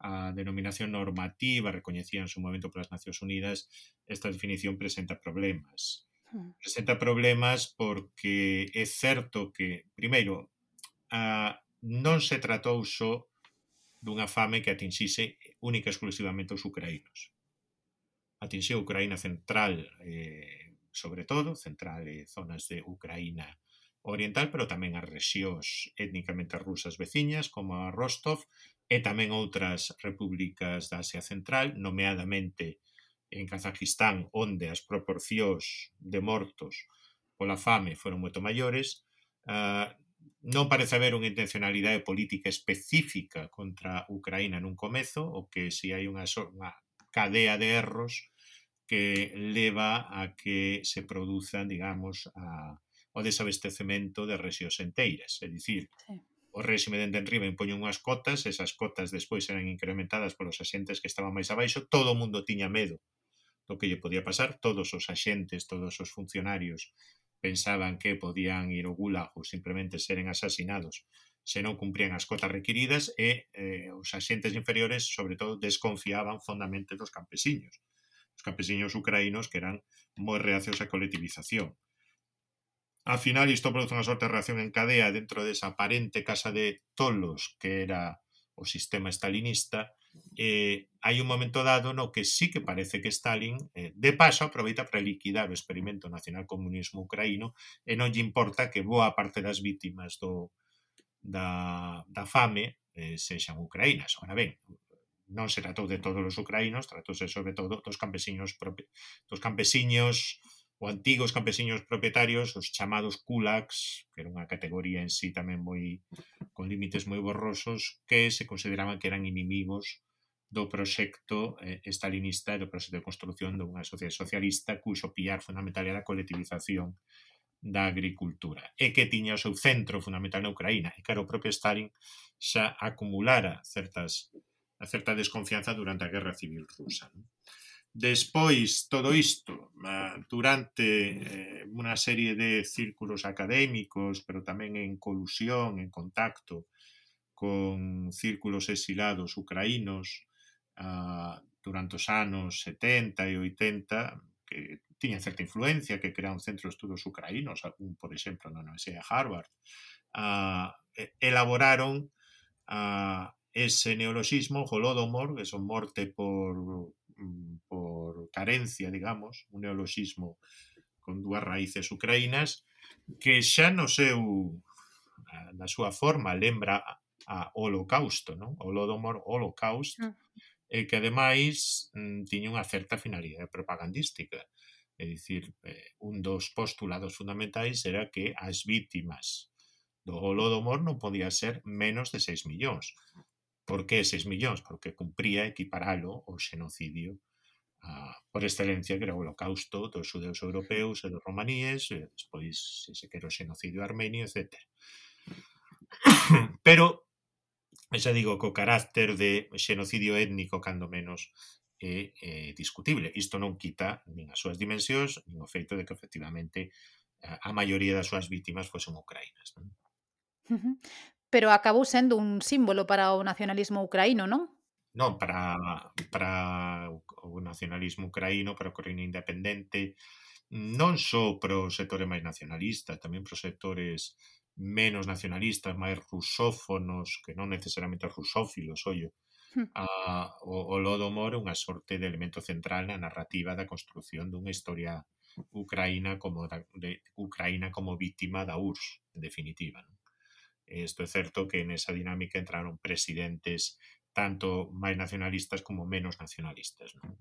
a denominación normativa recoñecida en su momento polas Nacións Unidas, esta definición presenta problemas. Presenta problemas porque é certo que, primeiro, a, non se tratou só dunha fame que atinxise única e exclusivamente os ucraínos. Atinxiu a Ucraína central, eh, sobre todo, central e zonas de Ucraína oriental, pero tamén as rexións étnicamente rusas veciñas, como a Rostov, e tamén outras repúblicas da Asia Central, nomeadamente en Kazajistán, onde as proporcións de mortos pola fame foron moito maiores. Uh, non parece haber unha intencionalidade política específica contra Ucraína nun comezo, o que si hai unha, unha cadea de erros que leva a que se produzan, digamos, a, o desabastecemento de rexións enteiras. É dicir, sí. O réxime dende enriba impoñe unhas cotas, esas cotas despois eran incrementadas polos axentes que estaban máis abaixo, todo o mundo tiña medo do que lle podía pasar, todos os axentes, todos os funcionarios pensaban que podían ir ao gulag ou simplemente seren asasinados se non cumprían as cotas requiridas e eh, os axentes inferiores, sobre todo, desconfiaban fondamente dos campesiños. Os campesiños ucraínos que eran moi reacios á colectivización. Al final, isto produce unha sorte de reacción en cadea dentro desa aparente casa de tolos que era o sistema stalinista. Eh, hai un momento dado no que sí que parece que Stalin, eh, de paso, aproveita para liquidar o experimento nacionalcomunismo ucraíno e non lle importa que boa parte das vítimas do, da, da fame eh, sexan ucraínas. Ora ben, non se tratou de todos os ucraínos, tratouse sobre todo dos campesiños, dos campesiños ou antigos campesiños propietarios, os chamados kulaks, que era unha categoría en sí tamén moi con límites moi borrosos, que se consideraban que eran inimigos do proxecto eh, stalinista e do proxecto de construción dunha sociedade socialista cuxo piar fundamental era a colectivización da agricultura e que tiña o seu centro fundamental na Ucraína. E claro, o propio Stalin xa acumulara certas, a certa desconfianza durante a Guerra Civil Rusa, non? Despois, todo isto, durante eh, unha serie de círculos académicos, pero tamén en colusión, en contacto con círculos exilados ucraínos uh, durante os anos setenta e oitenta, que tiñan certa influencia, que crearon centros de estudos ucraínos, algún, por exemplo, na Universidade de Harvard, uh, elaboraron uh, ese neologismo, Holodomor, que son morte por... por carencia, digamos, un neologismo con dúas raíces ucraínas, que xa no seu, na súa forma, lembra a holocausto, non? Holodomor, holocaust, e que ademais tiña unha certa finalidade propagandística. É dicir, eh, un dos postulados fundamentais era que as vítimas do Holodomor non podía ser menos de seis millóns. Por que seis millóns? Porque cumpría equiparalo ao xenocidio a, por excelencia, que era o holocausto dos xudeus europeus e dos romaníes, e despois, se se quere, o xenocidio armenio, etcétera. Pero, xa digo, co carácter de xenocidio étnico, cando menos, é, é discutible. Isto non quita nin as súas dimensións, nin o feito de que, efectivamente, a, a maioría das súas vítimas fosen ucraínas. Non? Ujú. Pero acabou sendo un símbolo para o nacionalismo ucraíno, non? Non, para, para o nacionalismo ucraíno, para a Ucraína independente, non só para os sectores máis nacionalistas, tamén para os sectores menos nacionalistas, máis rusófonos, que non necesariamente rusófilos, ollo. Hmm. A, o, o Holodomor é unha sorte de elemento central na narrativa da construción dunha historia ucraína como da, de Ucraína como vítima da U R S S, en definitiva. Non? Isto é certo que nesa dinámica entraron presidentes tanto máis nacionalistas como menos nacionalistas. Non?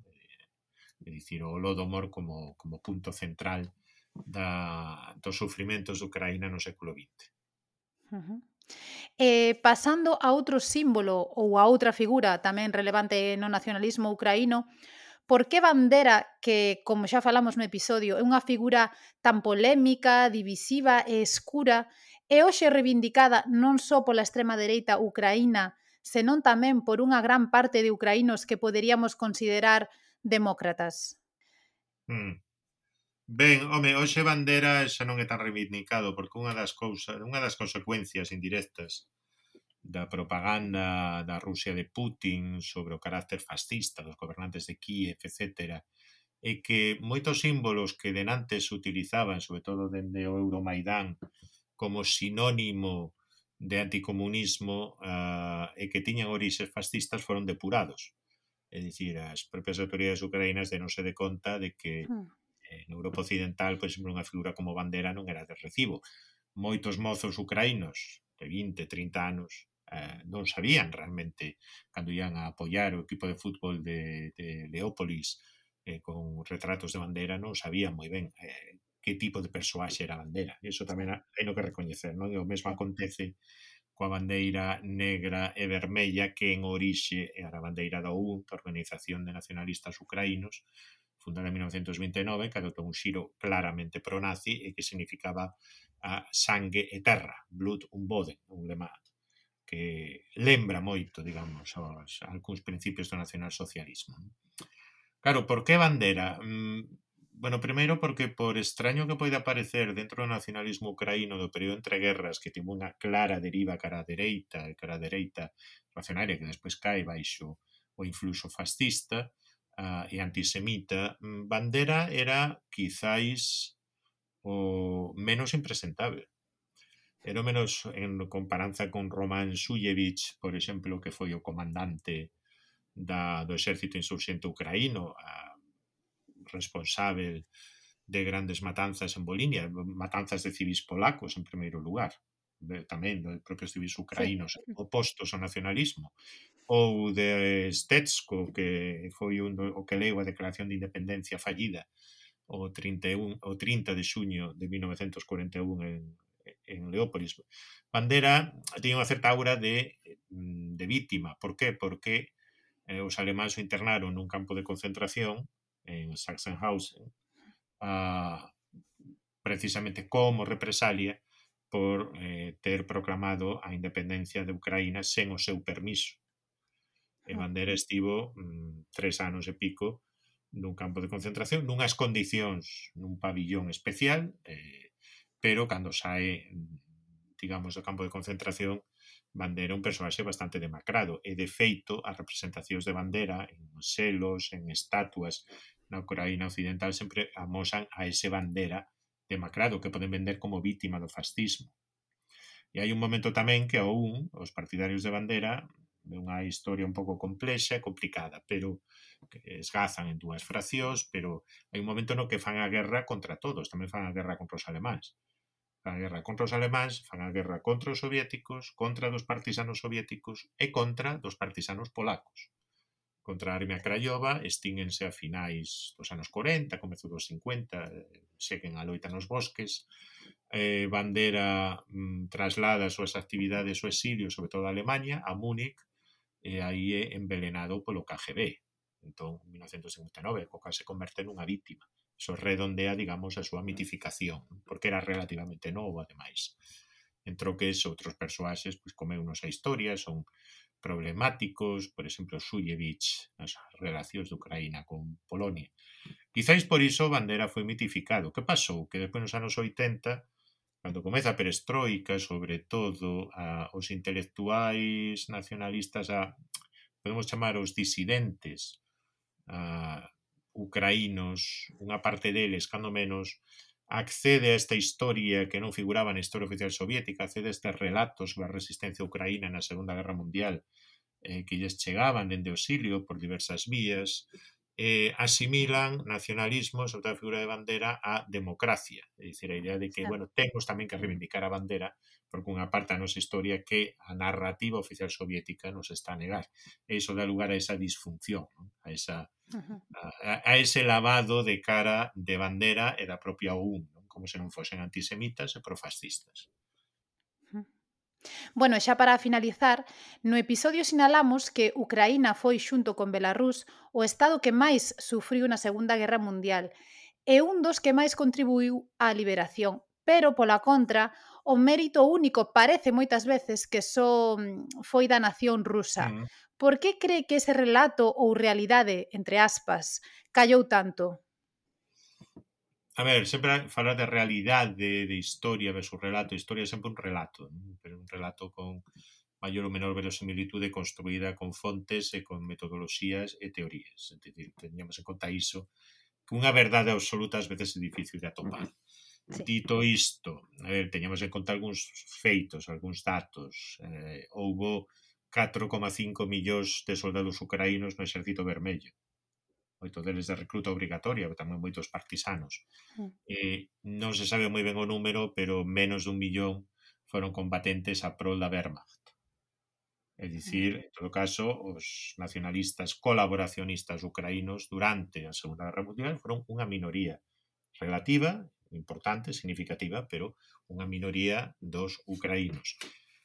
É dicir, o Holodomor como, como punto central da, dos sufrimentos de Ucraína no século vinte. Uh-huh. Eh, pasando a outro símbolo ou a outra figura tamén relevante no nacionalismo ucraíno, por que Bandera, que, como xa falamos no episodio, é unha figura tan polémica, divisiva e escura, é hoxe reivindicada non só pola extrema dereita ucraína, senón tamén por unha gran parte de ucraínos que poderíamos considerar demócratas? Hmm. Ben, home, hoxe Bandera xa non é tan reivindicado porque unha das cousas, unha das consecuencias indirectas da propaganda da Rusia de Putin sobre o carácter fascista dos gobernantes de Kiev, etcétera, é que moitos símbolos que denantes se utilizaban, sobre todo dende o Euromaidán, como sinónimo de anticomunismo uh, e que tiñan orixes fascistas foron depurados. É dicir, as propias autoridades ucraínas denose de conta de que Hmm. eh, no Europa Occidental, por exemplo, unha figura como Bandera non era de recibo. Moitos mozos ucraínos de vinte, trinta anos eh, non sabían realmente cando ian a apoiar o equipo de fútbol de, de Leópolis eh, con retratos de Bandera, non sabían moi ben eh, que tipo de persoaxe era Bandera. Iso tamén hai no que recoñecer, non? E o mesmo acontece coa bandeira negra e vermella que en orixe era a bandeira da O U N, da Organización de Nacionalistas Ucraínos, fundada en mil novecentos vinte e nove, que adotou un xiro claramente pro-nazi e que significaba a sangue e terra, blood und Boden, un lema que lembra moito, digamos, aos algúns principios do nacionalsocialismo. Claro, por que Bandera? Mm, bueno, primeiro porque por extraño que poida parecer dentro do nacionalismo ucraíno do período entre guerras, que tivo unha clara deriva cara a dereita e cara a dereita racionaria que despois cae baixo o influxo fascista uh, e antisemita, Bandera era quizáis o menos impresentable. Era o menos en comparanza con Roman Shuyevich, por exemplo, que foi o comandante da, do exército insurxente ucraíno, a responsable de grandes matanzas en Volinia, matanzas de civis polacos en primeiro lugar, de, tamén de propios civis ucraínos sí. opostos ao nacionalismo, ou de Stetsko, que foi un do, o que leu a declaración de independencia fallida o trinta e un, o trinta de xuño de mil novecentos cuarenta e un en, en Leópolis. Bandera tiña unha certa aura de, de víctima. Por qué? Porque eh, os alemáns o internaron nun campo de concentración en Sachsenhausen, uh, precisamente como represalia por eh, ter proclamado a independencia de Ucraína sen o seu permiso. E Bandera estivo mm, tres anos e pico nun campo de concentración, nunhas condicións, nun pabillón especial, eh, pero cando sae, digamos, do campo de concentración, Bandera é un personaxe bastante demacrado, e de feito as representacións de Bandera en selos, en estatuas na Ucraína occidental sempre amosan a ese Bandera demacrado que poden vender como vítima do fascismo. E hai un momento tamén que a O U N, os partidarios de Bandera, é unha historia un pouco complexa e complicada, pero que esgazan en dúas fraccións, pero hai un momento no que fan a guerra contra todos, tamén fan a guerra contra os alemáns. Fan a guerra contra os alemáns, fan a guerra contra os soviéticos, contra dos partisanos soviéticos e contra dos partisanos polacos. contra a Armia Craiova, extínguense a finais dos anos corenta, comezo dos cincuenta, seguen a loita nos bosques. eh, Bandera mm, traslada as súas actividades o exilio, sobre todo a Alemanha, a Múnich, e aí é envelenado polo K G B. Entón, en mil novecentos cincuenta e nove, Coca se converte nunha víctima. Iso redondea, digamos, a súa mitificación, porque era relativamente novo, ademais. En troques, outros persoaxes, pois, comeunos a historia, son problemáticos, por exemplo, Shulevich, as relacións de Ucraína con Polonia. Quizáis por iso Bandera foi mitificado. Que pasou? Que despois nos anos oitenta, cando comeza a perestroika, sobre todo a, os intelectuais nacionalistas, a, podemos chamar os disidentes a, ucraínos, unha parte deles, cando menos, accede a esta historia que non figuraba na historia oficial soviética, accede a estes relatos sobre a resistencia ucraína na Segunda Guerra Mundial, eh, que lles chegaban dende o exilio por diversas vías, eh, asimilan nacionalismo, sobre todo a figura de Bandera, a democracia. É dicir, a idea de que, Xa. bueno, temos tamén que reivindicar a Bandera, porque unha parte da nosa historia que a narrativa oficial soviética nos está a negar. E iso dá lugar a esa disfunción, non? a esa Ujú. a, a ese lavado de cara de Bandera e da propia O U N, non? Como se non fosen antisemitas e profascistas. Bueno, xa para finalizar, no episodio sinalamos que Ucraína foi, xunto con Belarús, o estado que máis sufriu na Segunda Guerra Mundial e un dos que máis contribuiu á liberación. Pero, pola contra, o mérito único parece moitas veces que só mm, foi da nación rusa. Mm. Por que cree que ese relato ou realidade, entre aspas, callou tanto? A ver, sempre falar de realidade, de historia versus relato. Historia é sempre un relato, non? Pero un relato con maior ou menor verosimilitude construída con fontes e con metodoloxías e teorías. É dicir, teñamos en conta iso, que unha verdade absoluta ás veces é difícil de atopar. Sí. Dito isto, a ver, teñamos en conta algúns feitos, algúns datos. Eh, houbo catro coma cinco millóns de soldados ucraínos no Exército Vermello. Moito deles de recruta obrigatoria, pero tamén moitos partisanos. Mm. Eh, non se sabe moi ben o número, pero menos dun millón foron combatentes a prol da Wehrmacht. É dicir, en todo caso, os nacionalistas colaboracionistas ucraínos durante a Segunda Guerra Mundial foron unha minoría relativa, importante, significativa, pero unha minoría dos ucraínos.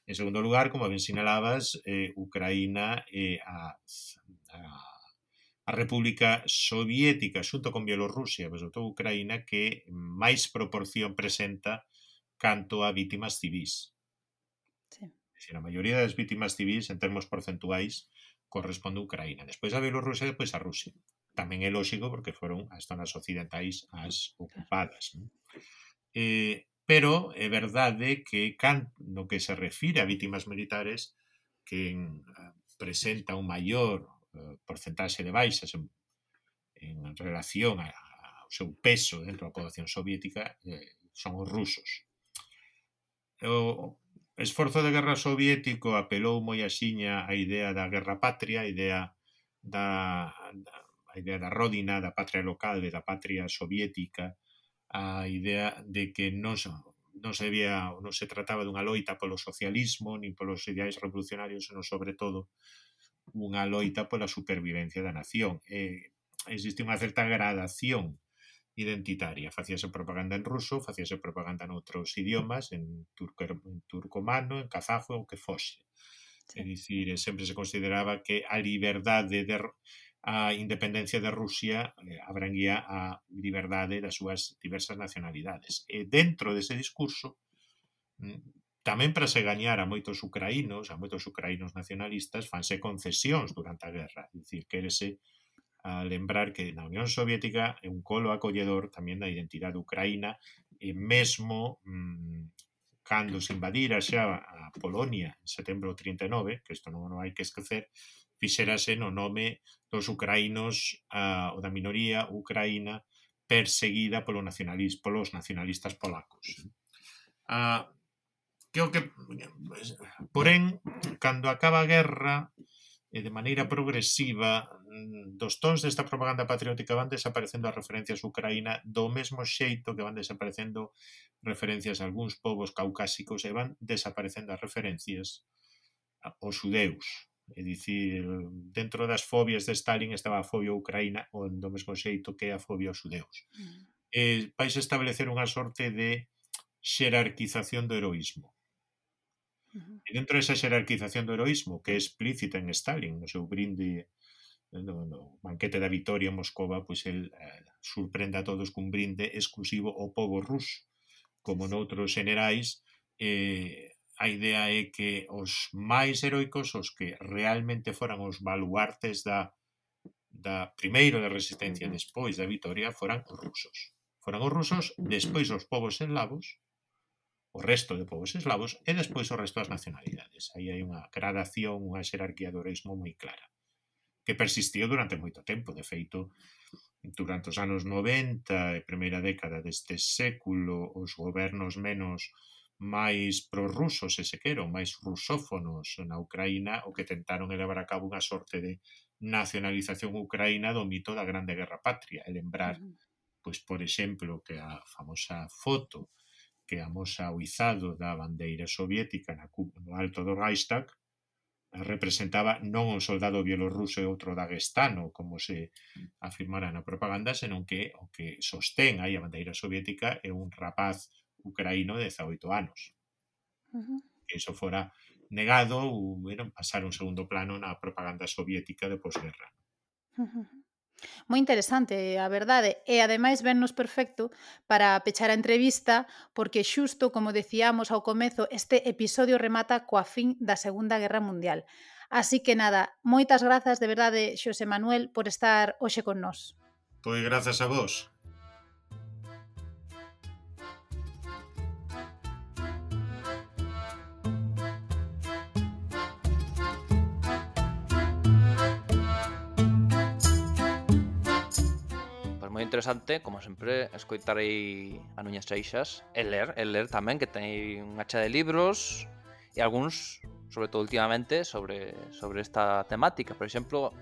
En segundo lugar, como ben sinalabas, eh, Ucraína é eh, a, a a República Soviética xunto con Bielorrusia, pero sobre todo Ucraína, que máis proporción presenta canto a vítimas civis. Sí. É dicir, a maioría das vítimas civis en termos porcentuais corresponde a Ucraína. Despois a Bielorrusia e despois a Rusia. Tamén é lógico porque foron as zonas occidentais as ocupadas. Non? Eh, pero é verdade que can, no que se refire a vítimas militares que en, presenta un maior porcentaxe de baixas en, en relación a, ao seu peso dentro da poboación soviética eh, son os rusos. O esforzo de guerra soviético apelou moi axiña a idea da guerra patria, a idea da, da, a idea da rodina, da patria local, da patria soviética, a idea de que non, non se debía, non se trataba dunha loita polo socialismo nin polos ideais revolucionarios, senón sobre todo unha loita pola supervivencia da nación. Eh, existe unha certa gradación identitaria. Facíase propaganda en ruso, facíase propaganda en outros idiomas, en, turco, en turcomano, en kazajo, o que fose. Sí. É dicir, sempre se consideraba que a liberdade, de, a independencia de Rusia eh, abranguía a liberdade das súas diversas nacionalidades. E dentro dese discurso, tamén para se gañar a moitos ucraínos, a moitos ucraínos nacionalistas, fanse concesións durante a guerra. É dicir, quérese a lembrar que na Unión Soviética é un colo acolledor tamén da identidade ucraína e mesmo mmm, cando se invadira xa a Polonia en setembro do trinta e nove, que isto non, non hai que esquecer, fixerase no nome dos ucraínos a, ou da minoría ucraína perseguida polo nacionalismo, polos nacionalistas polacos. A Creo que, porén, cando acaba a guerra, e de maneira progresiva, dos tons desta propaganda patriótica van desaparecendo as referencias a Ucraína do mesmo xeito que van desaparecendo referencias a algúns povos caucásicos e van desaparecendo as referencias aos xudeus. É dicir, dentro das fobias de Stalin estaba a fobia a Ucraína o do mesmo xeito que a fobia aos judeus. Mm. Eh, vais establecer unha sorte de xerarquización do heroísmo. Uh-huh. E dentro desa xerarquización do heroísmo, que é explícita en Stalin, no seu brinde no, no banquete da Vitoria en Moscova, pois el eh, sorprende a todos cun brinde exclusivo ao pobo ruso, como noutros generais. eh, a idea é que os máis heroicos, os que realmente foran os baluartes da, da primeiro da resistencia e despois da vitoria, foran os rusos. Foran os rusos, despois os povos eslavos, o resto de povos eslavos, e despois o resto das nacionalidades. Aí hai unha gradación, unha xerarquía do heroísmo moi clara, que persistiu durante moito tempo. De feito, durante os anos noventa e primeira década deste século, os gobernos menos máis prorrusos, se se quero, máis rusófonos na Ucraína, o que tentaron elevar a cabo unha sorte de nacionalización ucraína do mito da Grande Guerra Patria, e lembrar, pois, por exemplo, que a famosa foto que amosa o izado da bandeira soviética na, no alto do Reichstag representaba non un soldado bielorruso e outro daguestano, como se afirmara na propaganda, senón que o que sostén aí a bandeira soviética é un rapaz ucraíno de dezaoito anos. Uh-huh. Que iso fora negado ou bueno, pasar un segundo plano na propaganda soviética de posguerra. Uh-huh. Moi interesante, a verdade, e ademais vennos perfecto para pechar a entrevista, porque xusto, como decíamos ao comezo, este episodio remata coa fin da Segunda Guerra Mundial. Así que nada, moitas grazas de verdade, Xosé Manuel, por estar hoxe con nós. Pois grazas a vos. Moi interesante, como sempre, escoitar aí a Nuñas Seixas e ler, e ler tamén, que ten unha cha de libros e algúns, sobre todo últimamente, sobre, sobre esta temática. Por exemplo,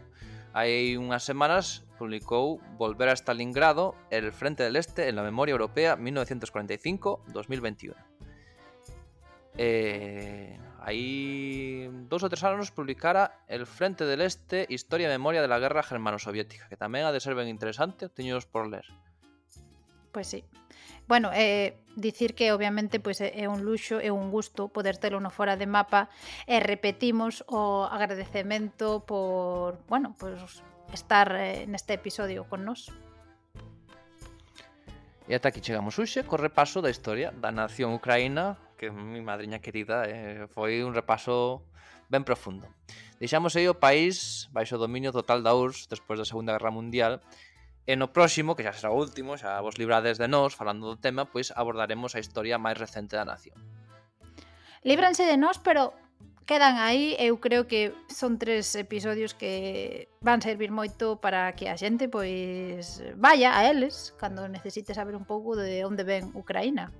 hai unhas semanas publicou Volver a Stalingrado, el Frente del Este en la memoria europea mil novecientos cuarenta y cinco a dos mil veintiuno. Eh, hai dous ou tres anos publicara El Frente del Este, Historia e Memoria de la Guerra Germano-Soviética, que tamén ha de ser ben interesante, teños por ler. Pois sí. Bueno, eh, dicir que obviamente pois, é un luxo, é un gusto poder telo no Fora de Mapa, e repetimos o agradecemento por, bueno, pues, estar eh, neste episodio con nós. E ata aquí chegamos hoxe co repaso da historia da nación ucraína, que mi madriña querida, eh, foi un repaso ben profundo. Deixamos aí o país baixo o dominio total da U R S S despois da Segunda Guerra Mundial, e no próximo, que xa será o último, xa vos librades de nós falando do tema, pois abordaremos a historia máis recente da nación. Líbranse de nós, pero quedan aí, eu creo que son tres episodios que van servir moito para que a xente pois vaya a eles cando necesite saber un pouco de onde ven Ucraína.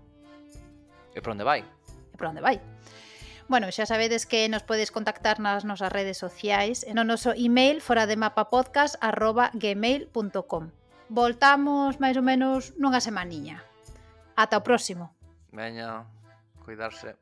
E por onde vai? E por onde vai. Bueno, xa sabedes que nos podes contactar nas nosas redes sociais e no noso email forademapapodcast arroba gmail punto com. Voltamos máis ou menos nunha semaniña. Ata o próximo. Veña, cuidarse.